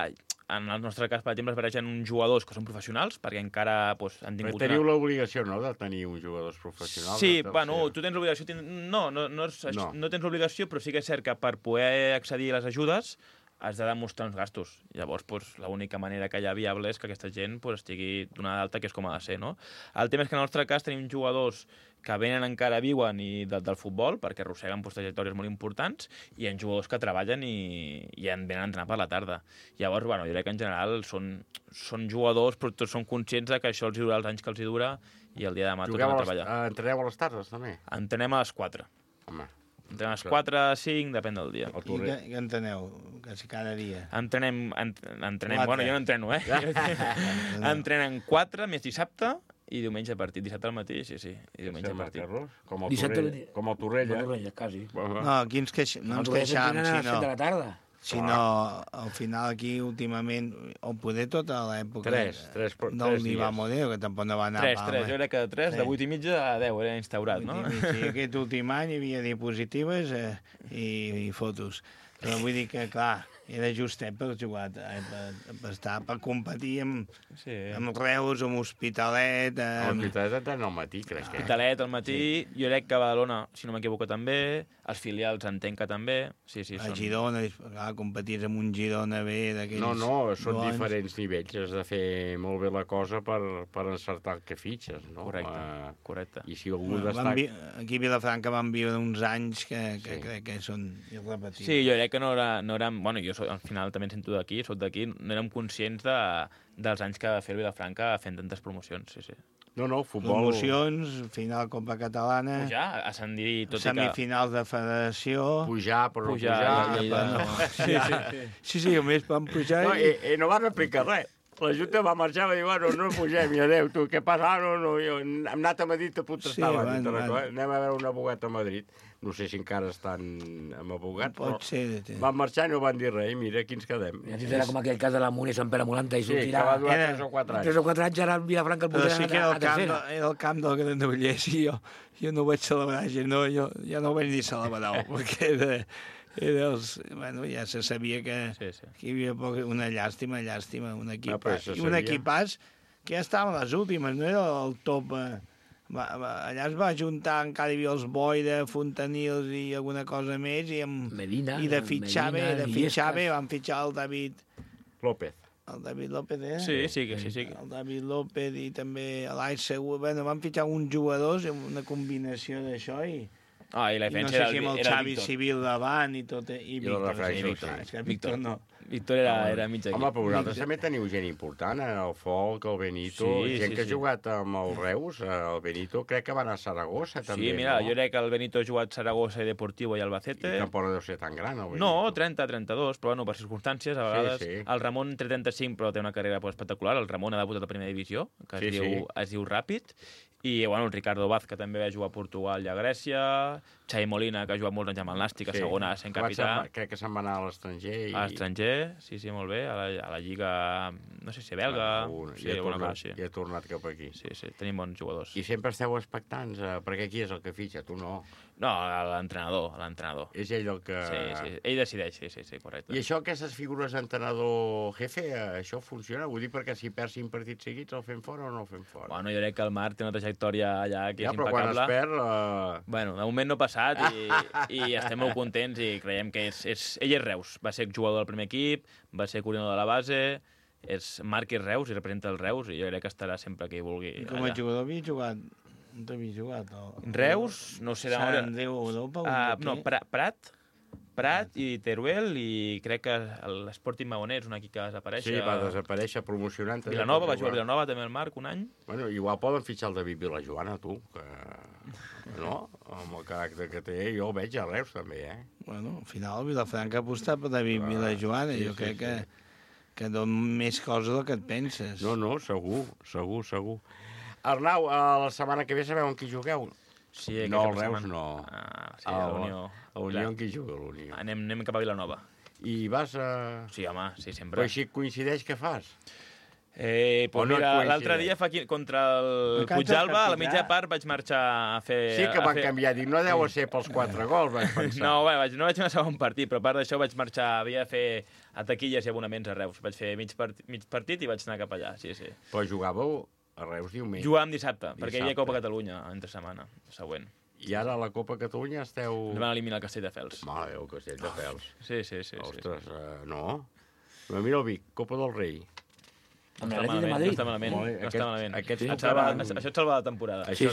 en el nostre cas, per exemple, es barregen uns jugadors que són professionals, perquè encara han tingut... Però teniu l'obligació, no?, de tenir uns jugadors professionals. Sí, bueno, tu tens l'obligació... No tens l'obligació, però sí que és cert que per poder accedir a les ajudes has de demostrar uns gastos. Llavors, l'única manera que hi ha viable és que aquesta gent estigui donada d'alta, que és com ha de ser, no? El tema és que en el nostre cas tenim jugadors que encara viuen del futbol, perquè arrosseguen trajectòries molt importants, i hi ha jugadors que treballen i venen a entrenar per la tarda. Llavors, jo crec que en general són jugadors, però tots són conscients que això els durarà els anys que els dura, i el dia de demà tornem a treballar. Entreneu a les tardes, també? Entrenem a les 4. Home. Entrenem a les 4, 5, depèn del dia. I què enteneu? Quasi cada dia? Entrenem, bueno, jo no entreno, Entrenem 4 més dissabte, i diumenge partit. Dissabte al matí, sí. I diumenge partit. Com el Torrella. Quasi. No, aquí no ens queixam, si no, al final aquí últimament, o poder tota l'època del Diva Modelo, que tampoc no va anar... 3, jo crec que 3, de 8 i mitja a 10 era instaurat, no? Sí, aquest últim any hi havia diapositives i fotos. Però vull dir que, clar, era justet per jugar, per competir amb Reus, amb Hospitalet... Hospitalet al matí, crec que. Hospitalet al matí, jo crec que a Badalona, si no m'equivoco, també, els filials entenc que també, sí. A Girona, clar, competir amb un Girona bé d'aquells... No, són diferents nivells, has de fer molt bé la cosa per encertar el que fitxes, no? Correcte. I si algú destaca... Aquí a Vilafranca van viure uns anys que crec que són irrepetibles. Sí, jo crec que no érem... Bueno, jo al final també em sento d'aquí, soc d'aquí, no érem conscients dels anys que va fer el Vilafranca fent tantes promocions, sí. No, futbol... Promocions, final Copa Catalana... Pujar, ascendir, tot semifinals de federació... Pujar, però no pujar... Sí, a més van pujar... No van explicar res. La Junta va marxar i va dir, bueno, no pugem, i adéu, tu, què passa? No, hem anat a Madrid a protestar. Anem a veure un abogat a Madrid. No sé si encara estan amb abogat, però van marxar i no van dir res, i mira, aquí ens quedem. I era com aquell cas de la Muniz Sant Pere Molanta, i sortirà... Sí, que va durar 3 o 4 anys. 3 o 4 anys, ara en Vilafranca el portarà a tercera. Era el camp del Granollers, i jo no ho vaig celebrar, jo ja no ho vaig ni celebrar, perquè ja se sabia que hi havia una llàstima, un equipàs que ja estava a les últimes, no era el top... Allà es va juntar, encara hi havia els Boira, Fontanils i alguna cosa més, Medina, i de fitxar bé, van fitxar el David López. El David López, Sí. El David López i també l'Aix Segur. Bueno, van fitxar uns jugadors, una combinació d'això, i I la I no defensa sé era si amb el era Xavi Víctor. Civil davant i tot, i Jo el Víctor. refereixo, sí. És que Víctor no. Víctor era mig equip. Home, però vosaltres també teniu gent important, el Folk, el Benito, gent que ha jugat amb el Reus, el Benito crec que va anar a Saragossa, també, Sí, mira, no? jo crec que el Benito ha jugat Saragossa i Deportivo i Albacete. I tampoc no deu ser tan gran, el Benito. No, 30, 32, però bueno, per circumstàncies, a vegades. Sí. El Ramon té 35, però té una carrera espectacular. El Ramon ha debutat a primera divisió, que es diu Ràpid. I, bueno, el Ricardo Vaz, que també va jugar a Portugal i a Grècia. Xavi Molina, que ha jugat molts anys amb el Nàstic, a segona, sent capità. Crec que se'n va anar a l'estranger. A l'estranger, sí, molt bé. A la Lliga, no sé si belga. I ha tornat cap aquí. Sí, tenim bons jugadors. I sempre esteu expectants, perquè qui és el que fitxa? Tu no. No, l'entrenador. És ell el que... Sí, ell decideix, sí, correcte. I això, aquestes figures d'entrenador jefe, això funciona? Vull dir, perquè si perds 5 partits seguits el fem fora o no el fem fora? Bueno, jo crec que el Marc té una trajectòria allà que és però impecable. quan es perd... Bueno, de moment no ha passat i estem molt contents i creiem que ell és Reus. Va ser jugador del primer equip, va ser coordinador de la base, Marc és Reus i representa el Reus i jo crec que estarà sempre que hi vulgui. I com a jugador havia jugat? On t'havia jugat? Reus, no sé... Sant Andreu Europa? No, Prat i Teruel i crec que l'Sporting Magoner és un equip que va desaparèixer. Sí, va desaparèixer promocionant. Vilanova, va jugar a Vilanova també el Marc un any. Bueno, igual poden fitxar el David Vilajoana, tu, que... No? Amb el caràcter que té, jo el veig a Reus també, Bueno, al final el Vilafranca ha apostat per David Vilajoana, jo crec que dona més cosa del que et penses. No, segur. Arnau, la setmana que ve sabeu amb qui jugueu? Sí, no, el Reus no. Sí, a l'Unió. A l'Unió amb qui juga l'Unió? Anem cap a Vilanova. I vas a... Sí, home, sí, sempre. Però així coincideix què fas? Pues mira, l'altre dia contra el Puigdàlber, a la mitja part vaig marxar a fer... Sí que van canviar, dic, no deu ser pels 4 gols, vaig pensar. No vaig anar a segon partit, però a part d'això vaig marxar, havia de fer a taquilles i abonaments a Reus. Vaig fer mig partit i vaig anar cap allà, sí. Però jugàveu a Reus diumenge? Jugàvem dissabte, perquè hi havia Copa Catalunya entre setmana, següent. I ara a la Copa Catalunya esteu... Ens van eliminar el Castelldefels. Mare Déu, Castelldefels. Sí. Ostres, no. Mira el Vic, Copa del Rei. Amb l'Atlètic de Madrid? No està malament. Això et salva la temporada. Sí.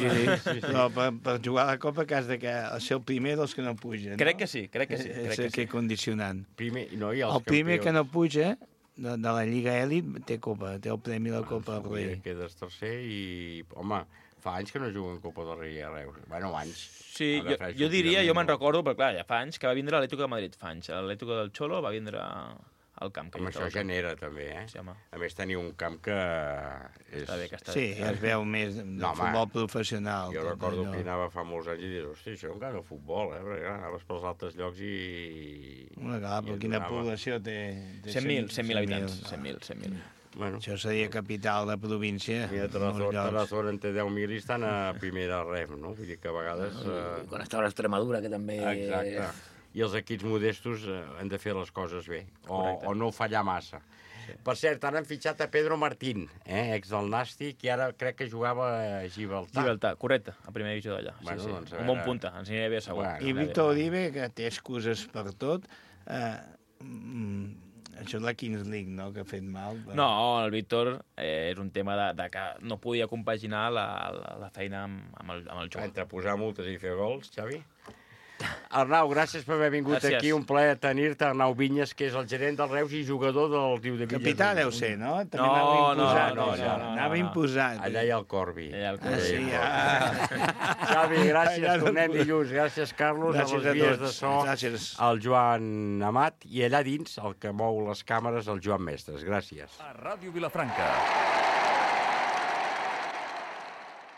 No, per jugar a la Copa que has de ser el primer dels que no pugen. Crec que sí. És el que condicionant. El primer que no puja de la Lliga Elit té Copa, té el premi de la Copa del Rei. Quedes tercer i, home, fa anys que no juguen Copa del Rei a Reus. Bueno, anys. Sí, jo diria, jo me'n recordo, però clar, ja fa anys que va vindre l'Atlético de Madrid, l'Atlético del Xolo va vindre al camp. Amb això genera, també, Sí, home. A més, teniu un camp que és... Està bé, que està bé. Sí, es veu més de futbol professional. Jo recordo que anava fa molts anys i dius, hosti, això encara futbol, perquè anaves pels altres llocs i... Clar, però quina població té? 100.000 habitants, 100.000. Bueno. Això seria capital de província. Mira, Tarazona en té 10.000 i estan a primera ref, no? Vull dir que a vegades... Quan estava l'Extremadura, que també... Exacte. I els equips modestos han de fer les coses bé, o no fallar massa. Sí. Per cert, ara han fitxat a Pedro Martín, ex del Nàstic, i ara crec que jugava a Gibraltar. Correcte, a primera divisió d'allà. Bueno, sí. Doncs un bon punta, ens aniria bé segur. I Víctor Uribe, que té excuses per tot, això és la Kings League, no?, que ha fet mal. Però... No, el Víctor és un tema de que no podia compaginar la feina amb el joc. Entre posar multes i fer gols, Xavi? Arnau, gràcies per haver vingut aquí. Un plaer tenir-te. Arnau Vinyes, que és el gerent del Reus i jugador del Riu de Villas. Capità deu ser, no? No. Anava imposant. Allà hi ha el Corbi. Sí, Xavi, gràcies. Tornem dilluns. Gràcies, Carlos. Gràcies a les vies de so. Gràcies. El Joan Amat. I allà dins, el que mou les càmeres, el Joan Mestres. Gràcies. A Ràdio Vilafranca.